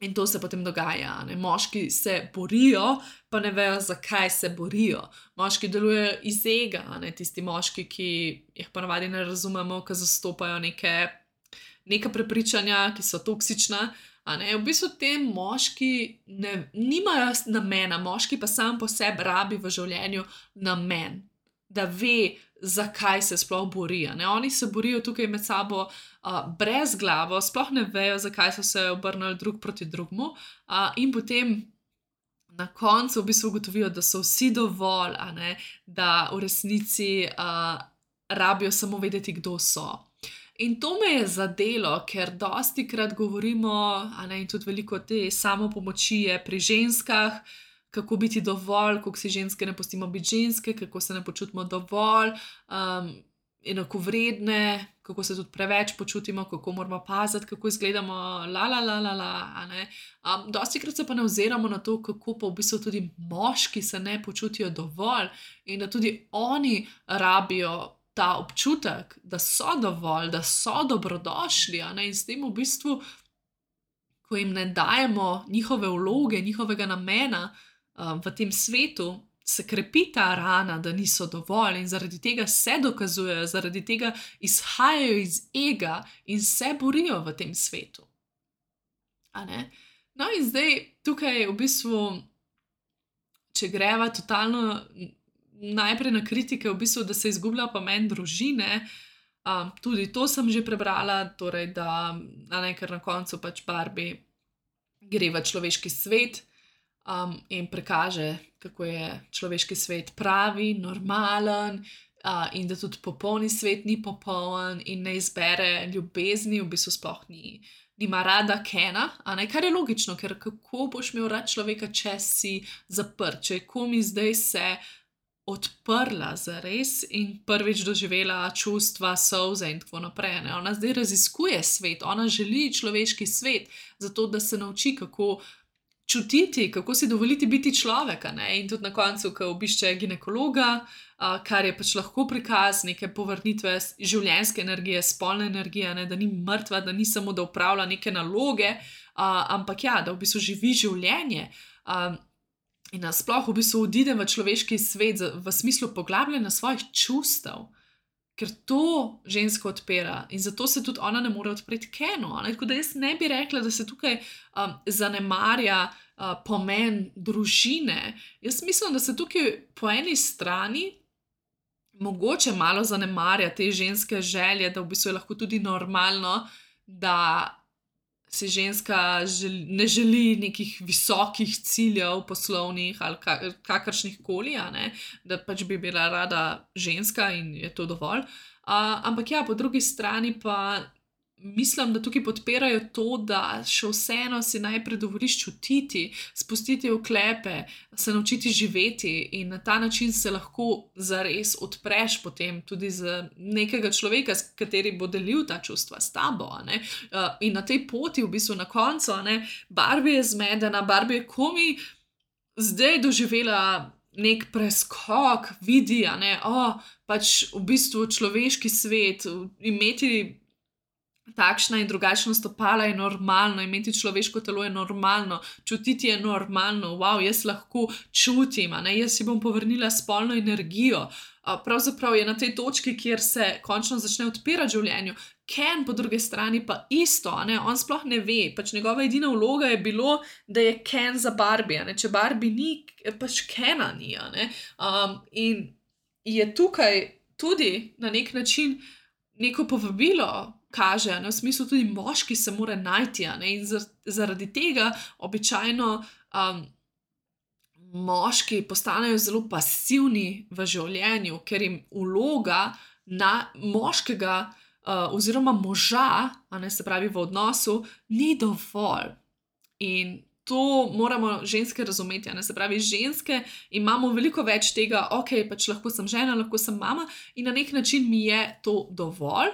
In to se potem dogaja. Ne? Moški se borijo, pa ne vejo, zakaj se borijo. Moški delujejo iz ega, ne? Tisti moški, ki jih ponavadi ne razumemo, ki zastopajo neke, neka prepričanja, ki so toksična. A ne? V bistvu te moški ne, nimajo namena, moški pa sam po sebi rabi v življenju namen, da ve, zakaj se sploh borijo. Ne? Oni se borijo tukaj med sabo uh, brez glavo, sploh ne vejo, zakaj so se obrnili drug proti drugmu uh, in potem na koncu v bistvu ugotovijo, da so vsi dovolj, a ne? Da v resnici uh, rabijo samo vedeti, kdo so. In to me je zadelo, ker dosti krat govorimo, a ne, in tudi veliko te samopomoči je pri ženskah, kako biti dovolj, kako si ženske ne pustimo biti ženske, kako se ne počutimo dovolj, um, enakovredne, kako se tudi preveč počutimo, kako moramo paziti, kako izgledamo, la, la, la, la, la, a ne. Um, dosti krat se pa ne oziramo na to, kako pa v bistvu tudi moški se ne počutijo dovolj in da tudi oni rabijo ta občutek, da so dovolj, da so dobrodošli, a ne, in s tem v bistvu, ko jim ne dajemo njihove vloge, njihovega namena um, v tem svetu, se krepi ta rana, da niso dovolj in zaradi tega se dokazujejo, zaradi tega izhajajo iz ega in se borijo v tem svetu. A ne? No in zdaj tukaj v bistvu, če greva totalno najprej na kritike, v bistvu, da se izgublja pomen družine, um, tudi to sem že prebrala, torej da, a ne, ker na koncu pač Barbie gre v človeški svet um, in prikaže, kako je človeški svet pravi, normalen uh, in da tudi popolni svet ni popoln in ne izbere ljubezni, v bistvu sploh ni, nima rada Kena, a ne, kar je logično, ker kako boš imel rad človeka, če si zaprt, če je komi zdaj se odprla zares in prvič doživela čustva, solze in tako naprej. Ne? Ona zdaj raziskuje svet, ona želi človeški svet, zato da se nauči, kako čutiti, kako si dovoliti biti človeka. Ne? In tudi na koncu, ko obišče ginekologa, a, kar je pač lahko prikaz neke povrnitve življenjske energije, spolne energije, ne? Da ni mrtva, da ni samo, da upravlja neke naloge, a, ampak ja, da v bistvu živi življenje. A, In nasploh v bistvu odidem v človeški svet v smislu poglabljanja svojih čustev, ker to žensko odpira in zato se tudi ona ne more odpreti Kenu. Tako da jaz ne bi rekla, da se tukaj um, zanemarja uh, pomen družine. Jaz mislim, da se tukaj po eni strani mogoče malo zanemarja te ženske želje, da v bistvu je lahko tudi normalno, da si ženska želi, ne želi nekih visokih ciljev poslovnih ali ka, kakršnih koli, da pač bi bila rada ženska in je to dovolj. Uh, ampak ja, po drugi strani pa mislim, da tukaj podpirajo to, da še vseeno si najprej dovoliš čutiti, spustiti oklepe, se naučiti živeti in na ta način se lahko zares odpreš potem tudi za nekega človeka, s kateri bo delil ta čustva s tabo. A ne? Uh, in na tej poti v bistvu na koncu, a ne, Barbie je zmedena, Barbie je komi zdaj doživela nek preskok, vidi, a ne, oh, pač v bistvu človeški svet, imeti takšna in drugačna stopala je normalno, imeti človeško telo je normalno, čutiti je normalno, wow, jaz lahko čutim, a ne, jaz si bom povrnila spolno energijo. Pravzaprav je na tej točki, kjer se končno začne odpirati življenju. Ken po drugi strani pa isto, a ne, on sploh ne ve, pač njegova edina vloga je bilo, da je Ken za Barbie, a ne, če Barbie ni, pač Kena ni, a ne, um, in je tukaj tudi na nek način neko povabilo, kaže, ne, v smislu tudi moški se mora najti, ne, in zaradi tega običajno um, moški postanejo zelo pasivni v življenju, ker jim vloga na moškega uh, oziroma moža, a ne, se pravi v odnosu, ni dovolj. In to moramo ženske razumeti, a ne, se pravi, ženske imamo veliko več tega, ok, pač lahko sem žena, lahko sem mama in na nek način mi je to dovolj.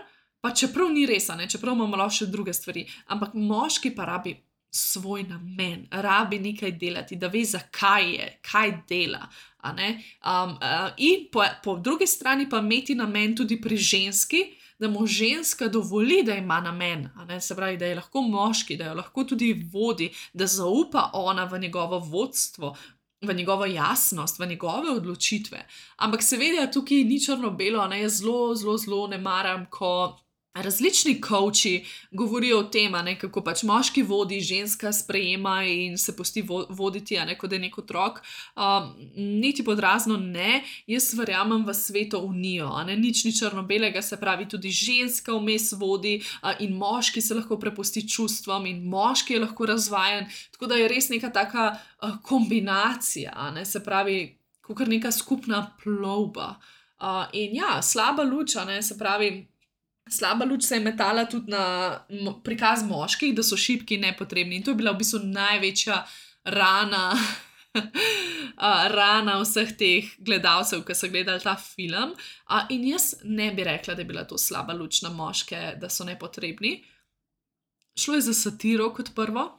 Pa čeprav ni res, ne, čeprav imamo lahko še druge stvari, ampak moški pa rabi svoj namen, rabi nekaj delati, da ve, zakaj je, kaj dela. A ne? Um, uh, in po, po drugi strani pa imeti namen tudi pri ženski, da mu ženska dovoli, da ima namen, a ne? Se pravi, da je lahko moški, da jo lahko tudi vodi, da zaupa ona v njegovo vodstvo, v njegovo jasnost, v njegove odločitve. Ampak seveda tukaj ni črno-belo, ne? Jaz zelo, zelo, zelo ne maram, ko različni coachi govorijo o tem, ne, kako pač moški vodi, ženska sprejema in se pusti voditi, a ne, kot je nek otrok. Um, niti podrazno ne, jaz verjamem v sveto unijo, a ne, nič ni črno-belega, se pravi, tudi ženska vmes vodi uh, in moški se lahko prepusti čustvom in moški je lahko razvajen, tako da je res neka taka uh, kombinacija, a ne, se pravi, kakor neka skupna plovba. Uh, in ja, slaba luč, a ne, se pravi, slaba luč se je metala tudi na prikaz moških, da so šibki in nepotrebni. In to je bila v bistvu največja rana, rana vseh teh gledalcev, ki so gledali ta film. In jaz ne bi rekla, da je bila to slaba luč na moške, da so nepotrebni. Šlo je za satiro kot prvo.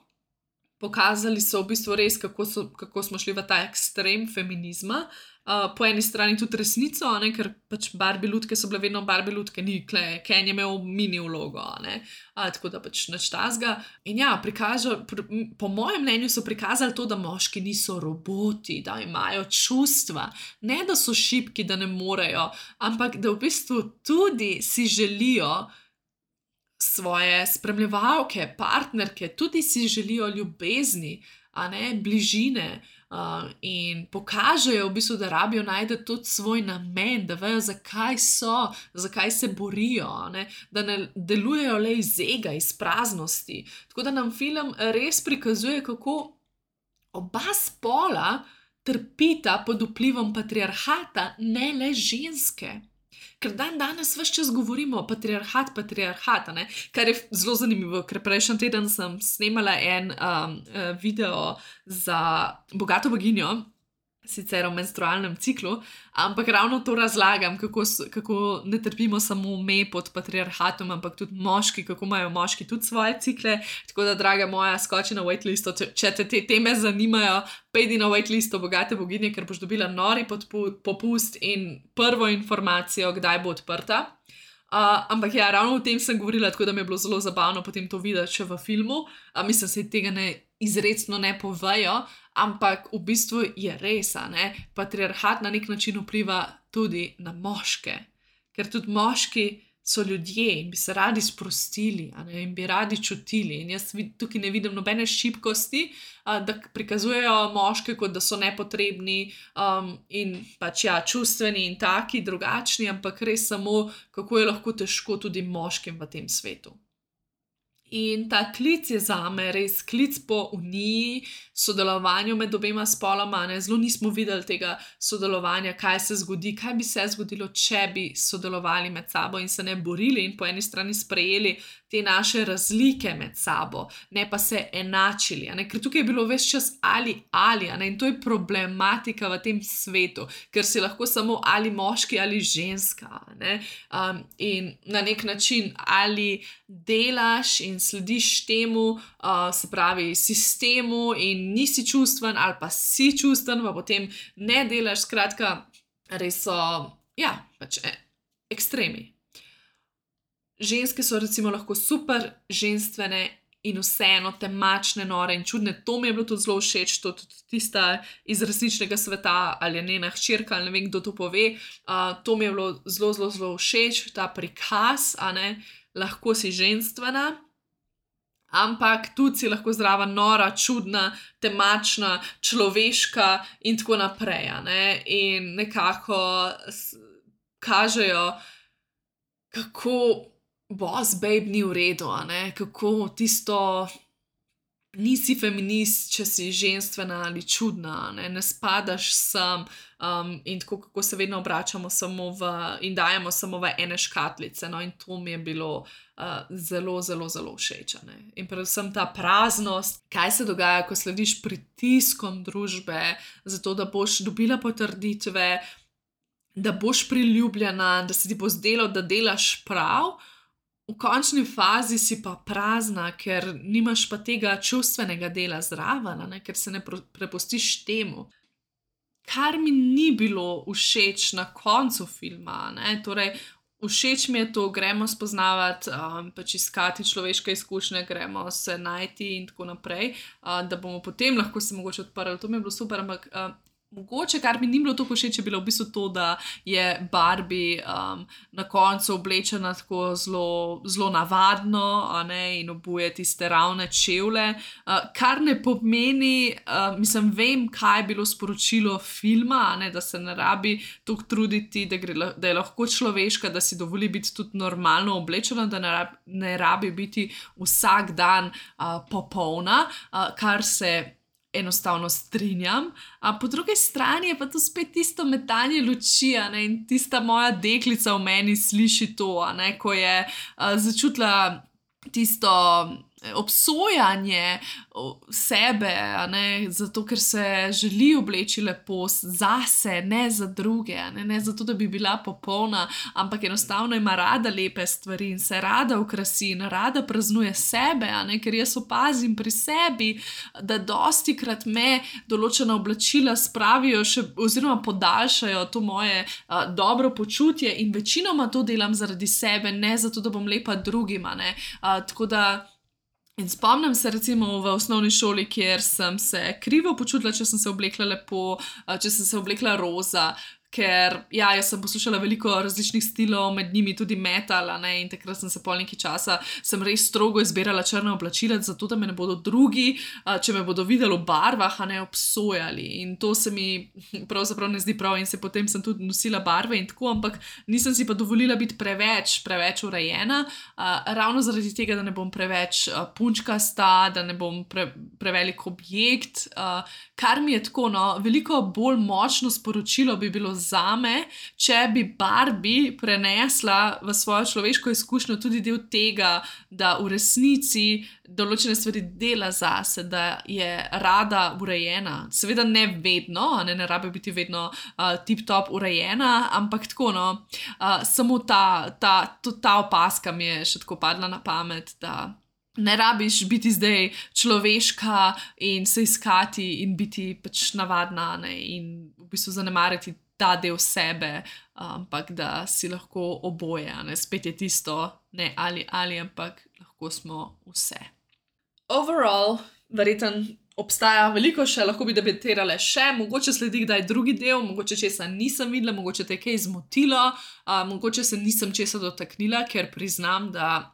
Pokazali so v bistvu res, kako, so, kako smo šli v ta ekstrem feminizma. Uh, po eni strani tudi resnico, ne, ker pač Barbie lutke so bile vedno Barbie lutke, ni kle, Ken je imel mini vlogo, ne, uh, tako da pač nič tazga. In ja, prikažo, pr, po mojem mnenju so prikazali to, da moški niso roboti, da imajo čustva, ne da so šibki, da ne morejo, ampak da v bistvu tudi si želijo svoje spremljevalke, partnerke, tudi si želijo ljubezni, a ne, bližine. Uh, in pokažejo v bistvu, da rabijo najti tudi svoj namen, da vejo, zakaj so, zakaj se borijo, ne? Da ne delujejo le iz ega, iz praznosti. Tako da nam film res prikazuje, kako oba spola trpita pod vplivom patriarhata, ne le ženske. Ker dan danes ves čas govorimo patriarhat, patriarhat, ne? Kar je zelo zanimivo, ker prejšnji teden sem snemala en um, video za bogato boginjo, sicer o menstrualnem ciklu, ampak ravno to razlagam, kako, kako ne trpimo samo me pod patriarhatom, ampak tudi moški, kako imajo moški tudi svoje cikle. Tako da, draga moja, skoči na waitlisto, če te te teme zanimajo, pejdi na waitlisto bogate boginje, ker boš dobila nori popust in prvo informacijo, kdaj bo odprta. Uh, ampak ja, ravno o tem sem govorila, tako da mi je bilo zelo zabavno potem to videti še v filmu. Uh, mislim, se tega ne izrecno ne povejo, ampak v bistvu je res, ne? Patriarhat na nek način vpliva tudi na moške, ker tudi moški so ljudje in bi se radi sprostili, a ne? In bi radi čutili. In jaz tukaj ne vidim nobene šibkosti, uh, da prikazujejo moške, kot da so nepotrebni um, in pač ja, čustveni in taki, drugačni, ampak res samo, kako je lahko težko tudi moškim v tem svetu. In ta klic je zame res klic po uniji, sodelovanju med obema spoloma, ne? Zelo nismo videli tega sodelovanja, kaj se zgodi, kaj bi se zgodilo, če bi sodelovali med sabo in se ne borili in po eni strani sprejeli te naše razlike med sabo, ne pa se enačili, a ne? Ker tukaj je bilo ves čas ali ali, a ne? In to je problematika v tem svetu, ker si lahko samo ali moški ali ženska, a ne? Um, in na nek način ali delaš in slediš temu, uh, se pravi sistemu in nisi čustven ali pa si čustven, pa potem ne delaš, skratka, res so, ja, pač e, ekstremi. Ženske so recimo lahko super ženstvene in vseeno temačne, nore in čudne. To mi je bilo tudi zelo všeč, to tudi tista iz resničnega sveta, ali je njena hčerka, ali ne vem, kdo to pove. Uh, to mi je bilo zelo, zelo, zelo všeč, ta prikaz, a ne, lahko si ženstvena, ampak tudi si lahko zdrava, nora, čudna, temačna, človeška in tako naprej, a ne. In nekako kažejo, kako boss babe ni v redu, a ne, kako tisto nisi feminist, če si ženstvena ali čudna, ne, ne spadaš sem um, in tako, kako se vedno obračamo samo v in dajemo samo v ene škatlice, no, in to mi je bilo uh, zelo, zelo, zelo všeč, ne. In predvsem ta praznost, kaj se dogaja, ko slediš pritiskom družbe, zato da boš dobila potrditve, da boš priljubljena, da se ti bo zdelo, da delaš prav, v končni fazi si pa prazna, ker nimaš pa tega čustvenega dela zraven, a ne, ker se ne pro- prepustiš temu. Kar mi ni bilo všeč na koncu filma, ne, torej všeč mi je to, gremo spoznavati, um, pač iskati človeške izkušnje, gremo se najti in tako naprej, uh, da bomo potem lahko se mogoče odprli. To mi je bilo super, ampak uh, mogoče, kar mi ni bilo tako všeč, je bilo v bistvu to, da je Barbie um, na koncu oblečena tako zelo, zelo navadno, a ne, in obuje tiste ravne čevlje, uh, kar ne pomeni, uh, mislim, vem, kaj je bilo sporočilo filma, a ne, da se ne rabi toliko truditi, da, gre, la- da je lahko človeška, da si dovoli biti tudi normalno oblečena, da ne rabi, ne rabi biti vsak dan uh, popolna, uh, kar se enostavno strinjam. A po drugi strani je pa to spet tisto metanje luči, a ne, in tista moja deklica v meni sliši to, a ne, ko je a, začutila tisto eh, obsojanje o- sebe, a ne, zato ker se želi obleči lepo s- zase, ne za druge, a ne, ne zato, da bi bila popolna, ampak enostavno ima rada lepe stvari in se rada okrasi in rada praznuje sebe, a ne, ker jaz opazim pri sebi, da dosti krat me določena oblačila spravijo še, oziroma podaljšajo to moje a, dobro počutje in večinoma to delam zaradi sebe, ne zato, da bom lepa drugima, ne. A, tako da in spomnim se recimo v osnovni šoli, kjer sem se krivo počutila, če sem se oblekla lepo, a, če sem se oblekla roza, ker ja, jaz sem poslušala veliko različnih stilov, med njimi tudi metal, a ne, in takrat sem se pol nekaj časa, sem res strogo izbirala črna oblačila, zato da me ne bodo drugi, a, če me bodo videli v barvah, a ne, obsojali. In to se mi pravzaprav ne zdi prav in se potem sem tudi nosila barve in tako, ampak nisem si pa dovolila biti preveč, preveč urejena, a, ravno zaradi tega, da ne bom preveč a, punčkasta, da ne bom pre, prevelik objekt, a, kar mi je tako, no, veliko bolj močno sporočilo bi bilo zame, če bi Barbie prenesla v svojo človeško izkušnjo tudi del tega, da v resnici določene stvari dela zase, da je rada urejena. Seveda ne vedno, a ne, ne rabi biti vedno uh, tip-top urejena, ampak tako, no, uh, samo ta, ta, to, ta opaska mi je še tako padla na pamet, da ne rabiš biti zdaj človeška in se iskati in biti pač navadna, ne, in v bistvu zanemariti ta del sebe, ampak da si lahko oboje, a ne, spet je tisto, ne ali ali, ampak lahko smo vse. Overall, verjetno obstaja veliko še, lahko bi debatirale še, mogoče sledi kdaj drugi del, mogoče česa nisem videla, mogoče te je kaj zmotilo, a, mogoče se nisem česa dotaknila, ker priznam, da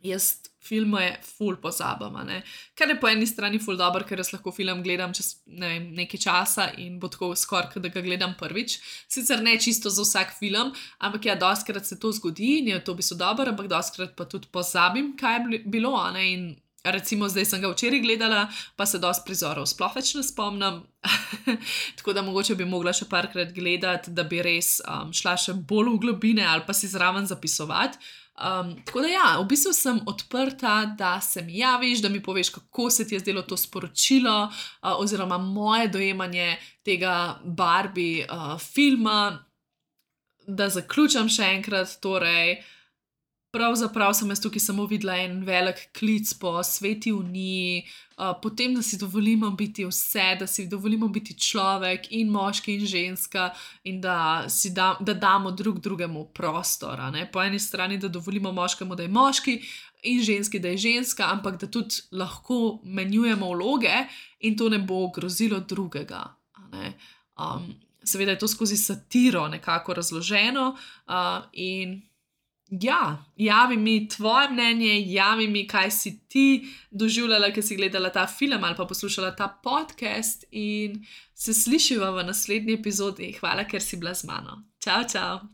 jaz filme ful pozabam, a ne. Kar je po eni strani ful dobro, ker jaz lahko film gledam čez ne vem, nekaj časa in bo tako skoraj, kot da ga gledam prvič. Sicer ne čisto za vsak film, ampak ja, dostikrat se to zgodi in je to v bistvu dobro, ampak dostikrat pa tudi pozabim, kaj je bili- bilo, a ne, in recimo zdaj sem ga včeraj gledala, pa se dosti prizorov sploh več ne spomnim, tako da mogoče bi mogla še parkrat gledati, da bi res um, šla še bolj v globine ali pa si zraven zapisovati. Um, tako da ja, v bistvu sem odprta, da se mi javiš, da mi poveš, kako se ti je zdelo to sporočilo, uh, oziroma moje dojemanje tega Barbie uh, filma. Da zaključim še enkrat, torej, pravzaprav sem jaz tukaj samo videla en velik klic po sveti uniji, uh, potem, da si dovolimo biti vse, da si dovolimo biti človek in moški in ženska in da, si da, da damo drug drugemu prostor, a ne. Po eni strani, da dovolimo moškemu, da je moški in ženski, da je ženska, ampak da tudi lahko menjujemo vloge in to ne bo grozilo drugega, a ne. Um, seveda je to skozi satiro nekako razloženo, uh, in ja, javi mi tvoje mnenje, javi mi, kaj si ti doživljala, ko si gledala ta film ali pa poslušala ta podcast in se slišiva v naslednji epizodi. Hvala, ker si bila z mano. Čau, čau!